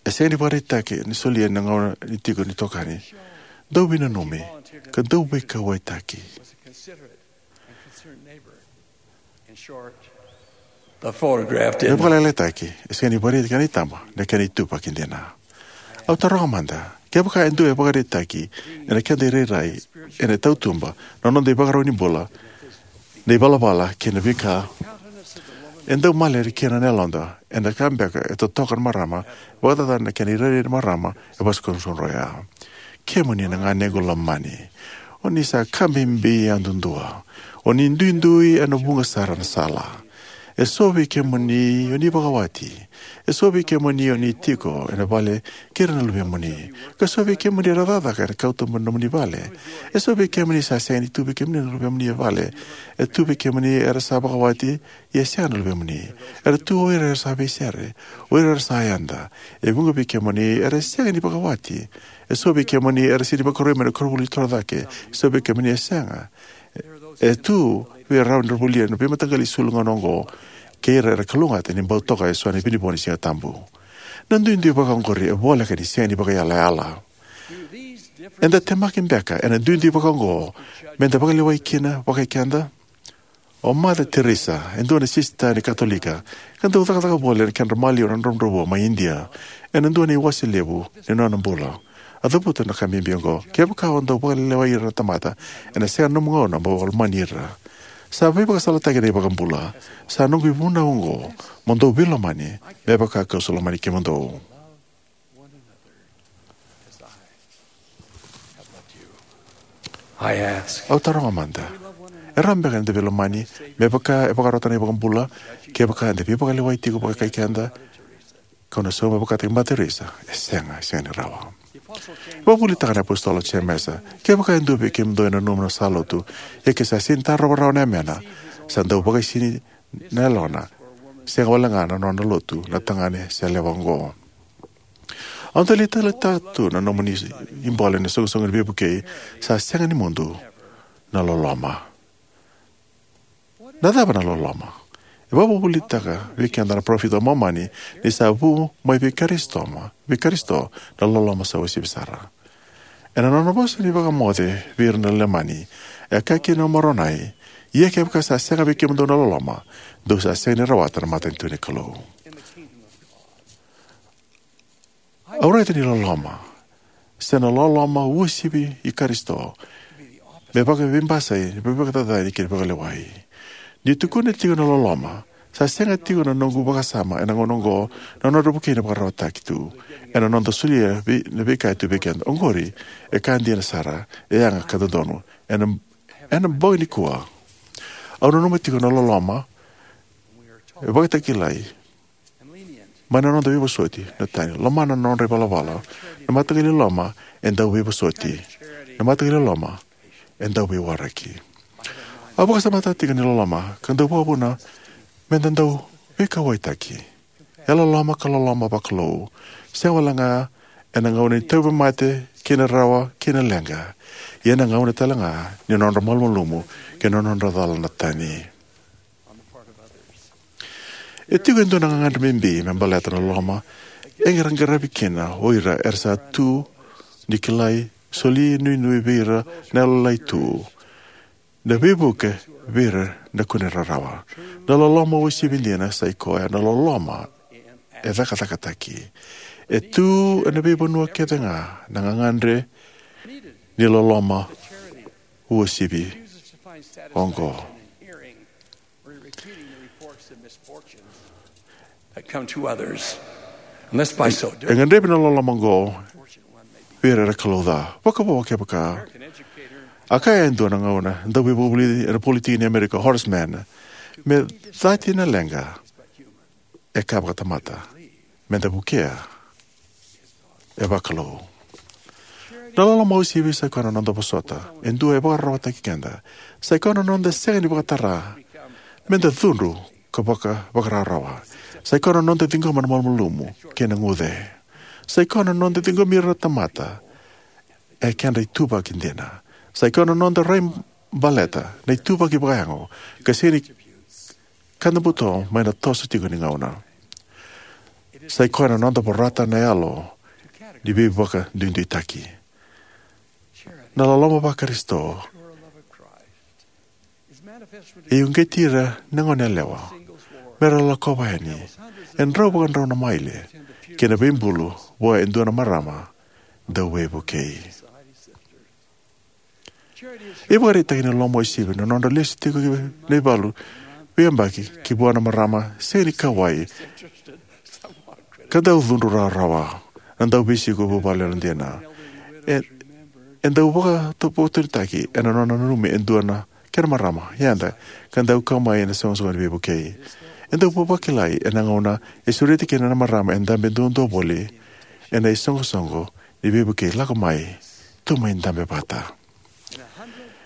E sega ni vakaraitaki ni solia na gauna ni tiko ni tokani, dau veinanumi ka dau veikauwaitaki. The photograph Me didn't. Vakalailaitaki, e sega ni vakaraitaki ena itaba na kena ituvaki dina. Au taroga mada, kevaka e dua e vakaraitaki ena keda irairai ena tautuba na noda ivakarau ni bula, na ivalavala kei na veika e dau malere kina na yaloda, ena ka beka e totoka na marama, vakacacana na kena irairai na marama e vosa kudrukudru oya. Kemuni na ganequ lomani, o ni sa ka bibi yadudua. O ni duidui ena vuqa sara na sala. E so vei kemuni o ni vakawati. E so vei kemuni o ni tiko ena vale kei ira na luvemuni. Ka so vei kemuni era cakacaka ena kauta mai na nomuni vale. E so vei kemuni sa sega ni tu vei kemuni na luvemuni e vale. E tu vei kemuni era sa vakawati, ia e sega na luvemuni. Era tu o ira era sa veisere, o ira era sa yada. E vuqa vei kemuni era sega ni vakawati. E so vei kemuni era sega ni vakaroi mai na koronivuli torocake. E so vei kemuni e sega. E tu vei ira era volia na veimataqali isulu gauna oqo, kei ira era kalougata ni bau toka eso na vinivo ni Siga Tabu. Na duidui vakaoqori e voleka ni sega ni vakayalayala. Eda temaki beka ena duidui vakaoqo meda vakalewai kina vakaikeda? O Mother Teresa, e dua na sisita ni Katolika, ka dau cakacaka voli ena kedra maliwa na dravudravua mai Idia, ena dua na iwase levu ni nona bula. A cavuta na ka bibi oqo: kevaka o dau vakalewai ira na tamata, ena sega na nomu gauna mo lomani ira. Sa veivakasalataki na iVakabula: Sa noqu ivunau oqo, mo dou veilomani, me vaka kau sa lomani kemudou. I ask, au taroga mada, e rawa beka ni da veilomani me vaka e vakarota na iVakabula? Kevaka eda veivakalewa tiko vakaikeda, kau na sauma vakataki Mother Teresa, e sega, e sega ni rawa. E vakavuvulitaka na iApositolo o Jemesa, kevaka e dua vei kemudou e nanuma na sa lotu, ia ke sa sega ni tarova rawa na yamena, sa dau vakaisini na yalona, sega wale ga na nona lotu na tagane se yalewa oqo. Au dau lai taleitaka tu na nomuni ibole ena iSoqosoqo ni Veivukei, sa sega ni mudu na loloma. Na cava na loloma? E vakavuvulitaka vei keda na parofita o Momani ni sa vu mai vei Karisito, vei Karisito na loloma sa uasivi sara. Ena nona vosa ni vakamoce vei ira na Leimani, e kaya kina o Moronai, ia kevaka sa sega vei kemudou na loloma, dou sa sega ni rawata na matanitu ni Kalou. Au raica ni loloma, se na loloma uasivi i Karisito, me vakaveibasai, me vakacacani kei na vakalewai. Ni tukuna tiko na loloma, sa sega tiko na noqu vakasama ena gauna oqo na nodra vukei na vakararawataki tu. Ena noda solia vei, na veika e tu vei keda oqori, e ka dina sara, e yaga ka dodonu. Ena, ena bogi nikua, au nanuma tiko na loloma, e vakatakilai mai na noda veivosoti na tani. Lomana na nodra ivalavala. Na mataqali loma e dau veivosoti. Na mataqali loma e dau veiwaraki. Au vakasamataka tiko ni loloma ka dau vakavuna me da dau veikauwaitaki. E loloma ka loloma vakalou. Sega wale ga ena gauna ni tauvimate kei na rawa kei na leqa. Ia ena gauna tale ga ni nodra malumalumu kei na nodra cala na tani. E tiko e dua na gagadre bibi me baleta na loloma e qaravi kina o ira era sa tu ni kilai, soli nuinui vei ira na yalolailai tu, na veivuke vei ira na kune rarawa. Na loloma uasivi dina sa i koya na loloma e cakacakataki. E tu ena veivanua kece ga na gagadre ni loloma uasivi oqo. E gadrevi na loloma oqo vei ira era kalou ca. Vakavo kevaka a kaya e dua na gauna dau veivakavulici ena politiki ni Amerika, Horace Mann, me cati na leqa e ka vakatamata, me da vukea e vakalou. Na loloma uasivi sa i koya na noda vosota e dua e vakararawataki keda. Sa i koya na noda sega ni vakatara me da cudru ka vaka, vakarawarawa. Sa i koya na noda ciqoma na malumalumu kei na guce. Sa i koya na noda ciqomi ira na tamata e kedra ituvaki dina. Sa i koya na noda rai baleta na ituvaki vakayago ka sega ni ka da buto mai na toso tiko ni gauna. Sa i koya na noda vorata na yalo ni veivakaduiduitaki. Na loloma vaKarisito e uqeti ira na goneyalewa me ra lakova yani e drau vakadrau na maile ki na veibulu vua e dua na marama dau veivukei. E vakaraitaki ni loloma uasivi na nodra lesu tiko na ivalu veiyabaki ki vua na marama sega ni kauwai ka dau cudru rawarawa, na dau veisiko vuvale yalodina. E, e dau vakatopotonitaki ena nona nanumi e dua na kena marama yada ka dau kau mai ena iSoqosoqo ni Veivukei. E dau vakilai ena gauna e sureti kina na marama e dabe duadua voli ena iSoqosoqo ni Veivukei, lako mai, tou mai dabe vata.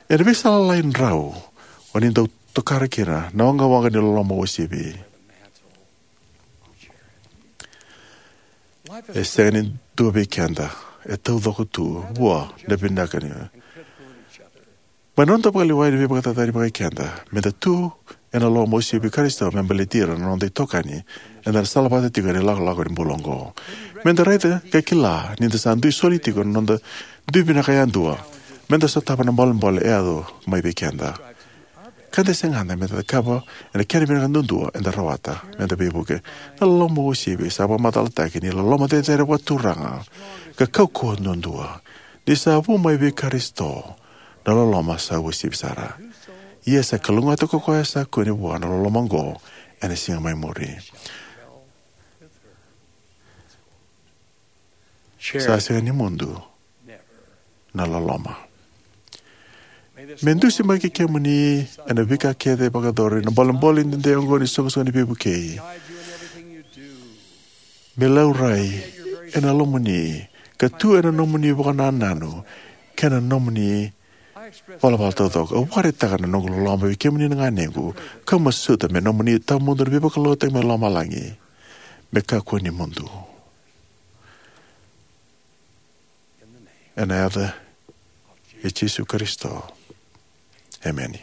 Ena veisala lailai drau o ni dau tokara kina na waqawaqa ni loloma uasivi. E sega ni dua vei keda e taucoko tu vua na vinaka ni. Mai na noda vakalewai ni veivakacacani vakaikeda, me da tu ena loloma uasivi i Karisito me baleti ira na noda itokani eda na salavata tiko ena ilakolako ni bula oqo. Me da raica ka kila ni da sa dui soli tiko na noda dui vinaka yadua me da sotava na bolebole e yaco mai vei keda. Ka da segata me da cakava ena kena vinaka duadua eda rawata me da veivuke. Na loloma uasivi sa vakamacalataki ni loloma cecere vakaturaga ka kaukauwa duadua. Ni sa vu mai vei Karisito na loloma sa uasivi sara. Ia sa kalougata ko koya sa kune vua na loloma oqo ena siga mai muri. Sa sega ni mudu na loloma. Me dusimaki kemuni ena veika kece vakayacori na bolebole dede oqo ni soqosoqo ni veivukei. Me laurai ena lomamuni ka tu ena nomuni vakanananu kei na nomuni valavala taucoko. Au vakaraitaka na noqu loloma vei kemuni na ganequ, kau masuta me nomuni tawamudu na veivakalougatataki mai lomalagi me kakua ni mudu. Ena yaca i Jisu Karisito, emeni.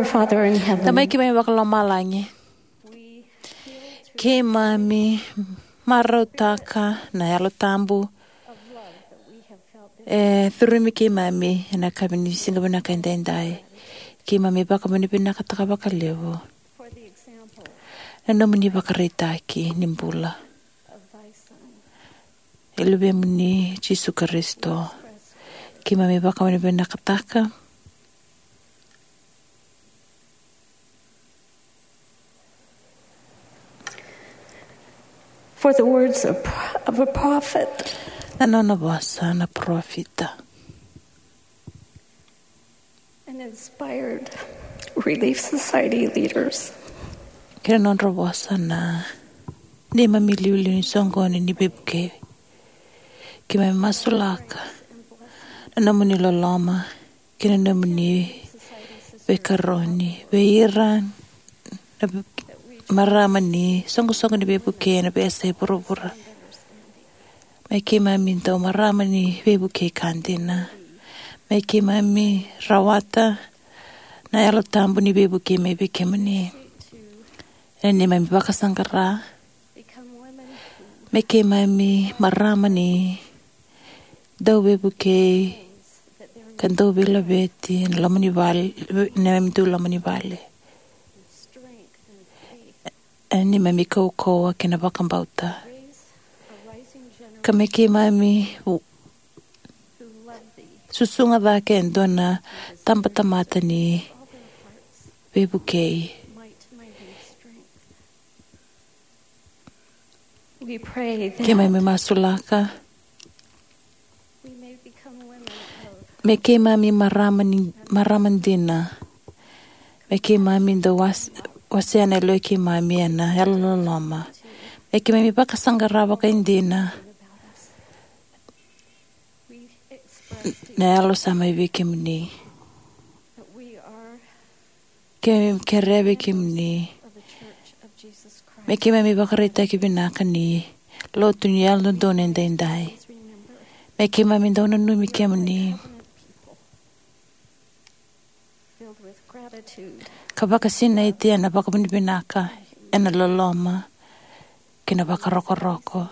Father in heaven, Tamai keimami vakalomalagi, keimami marautaka na Yalo Tabu e curumi keimami ena yakavi ni siga vinaka edaidai. Keimami vakavinavinakataka vakalevu na nomuni vakaraitaki ni bula e Luvemuni Jisu Karisito. Keimami vakavinavinakataka for the words of, of a prophet. Na nona vosa na parofita. An inspired Relief Society leaders. Kei na nodra vosa na neimami iliuliu ni soqoni ni veivukei. Keimami masulaka na nomuni loloma kei na nomuni veikaroni vei ira na marama ni soqosoqo ni veivukei ena veiyasai vuravura. Me keimami dau marama ni veivukei ka dina. Me keimami rawata na Yalo Tabu ni veivukei mai vei kemuni ena neimami vakasaqara. Me keimami marama ni dau veivukei ka dau veilaveti ena loma ni vale, ena neimami dau loma ni vale, ena neimami kaukauwa kei na vakabauta. Ka me keimami u-, susuga cake e dua na tabatamata ni veivukei. We pray that Keimami masulaka we may become women of me keimami marama ni, marama dina. Me keimami dau was-, wasea na yalo i keimami ena yalololoma. Me keimami vakasaqara vakaidina na yalo sa mai vei kemuni. Keimami kerea vei kemuni me keimami vakaraitaki vinaka ni lotu ni Yalododonu Edaidai. Me keimami dau nanumi kemuni ka vakasinaiti ena vakavinavinaka, ena loloma kei na vakarokoroko.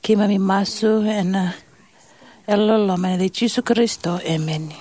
Keimami masu ena yalololoma ena yaca i Jisu Karisito, emeni.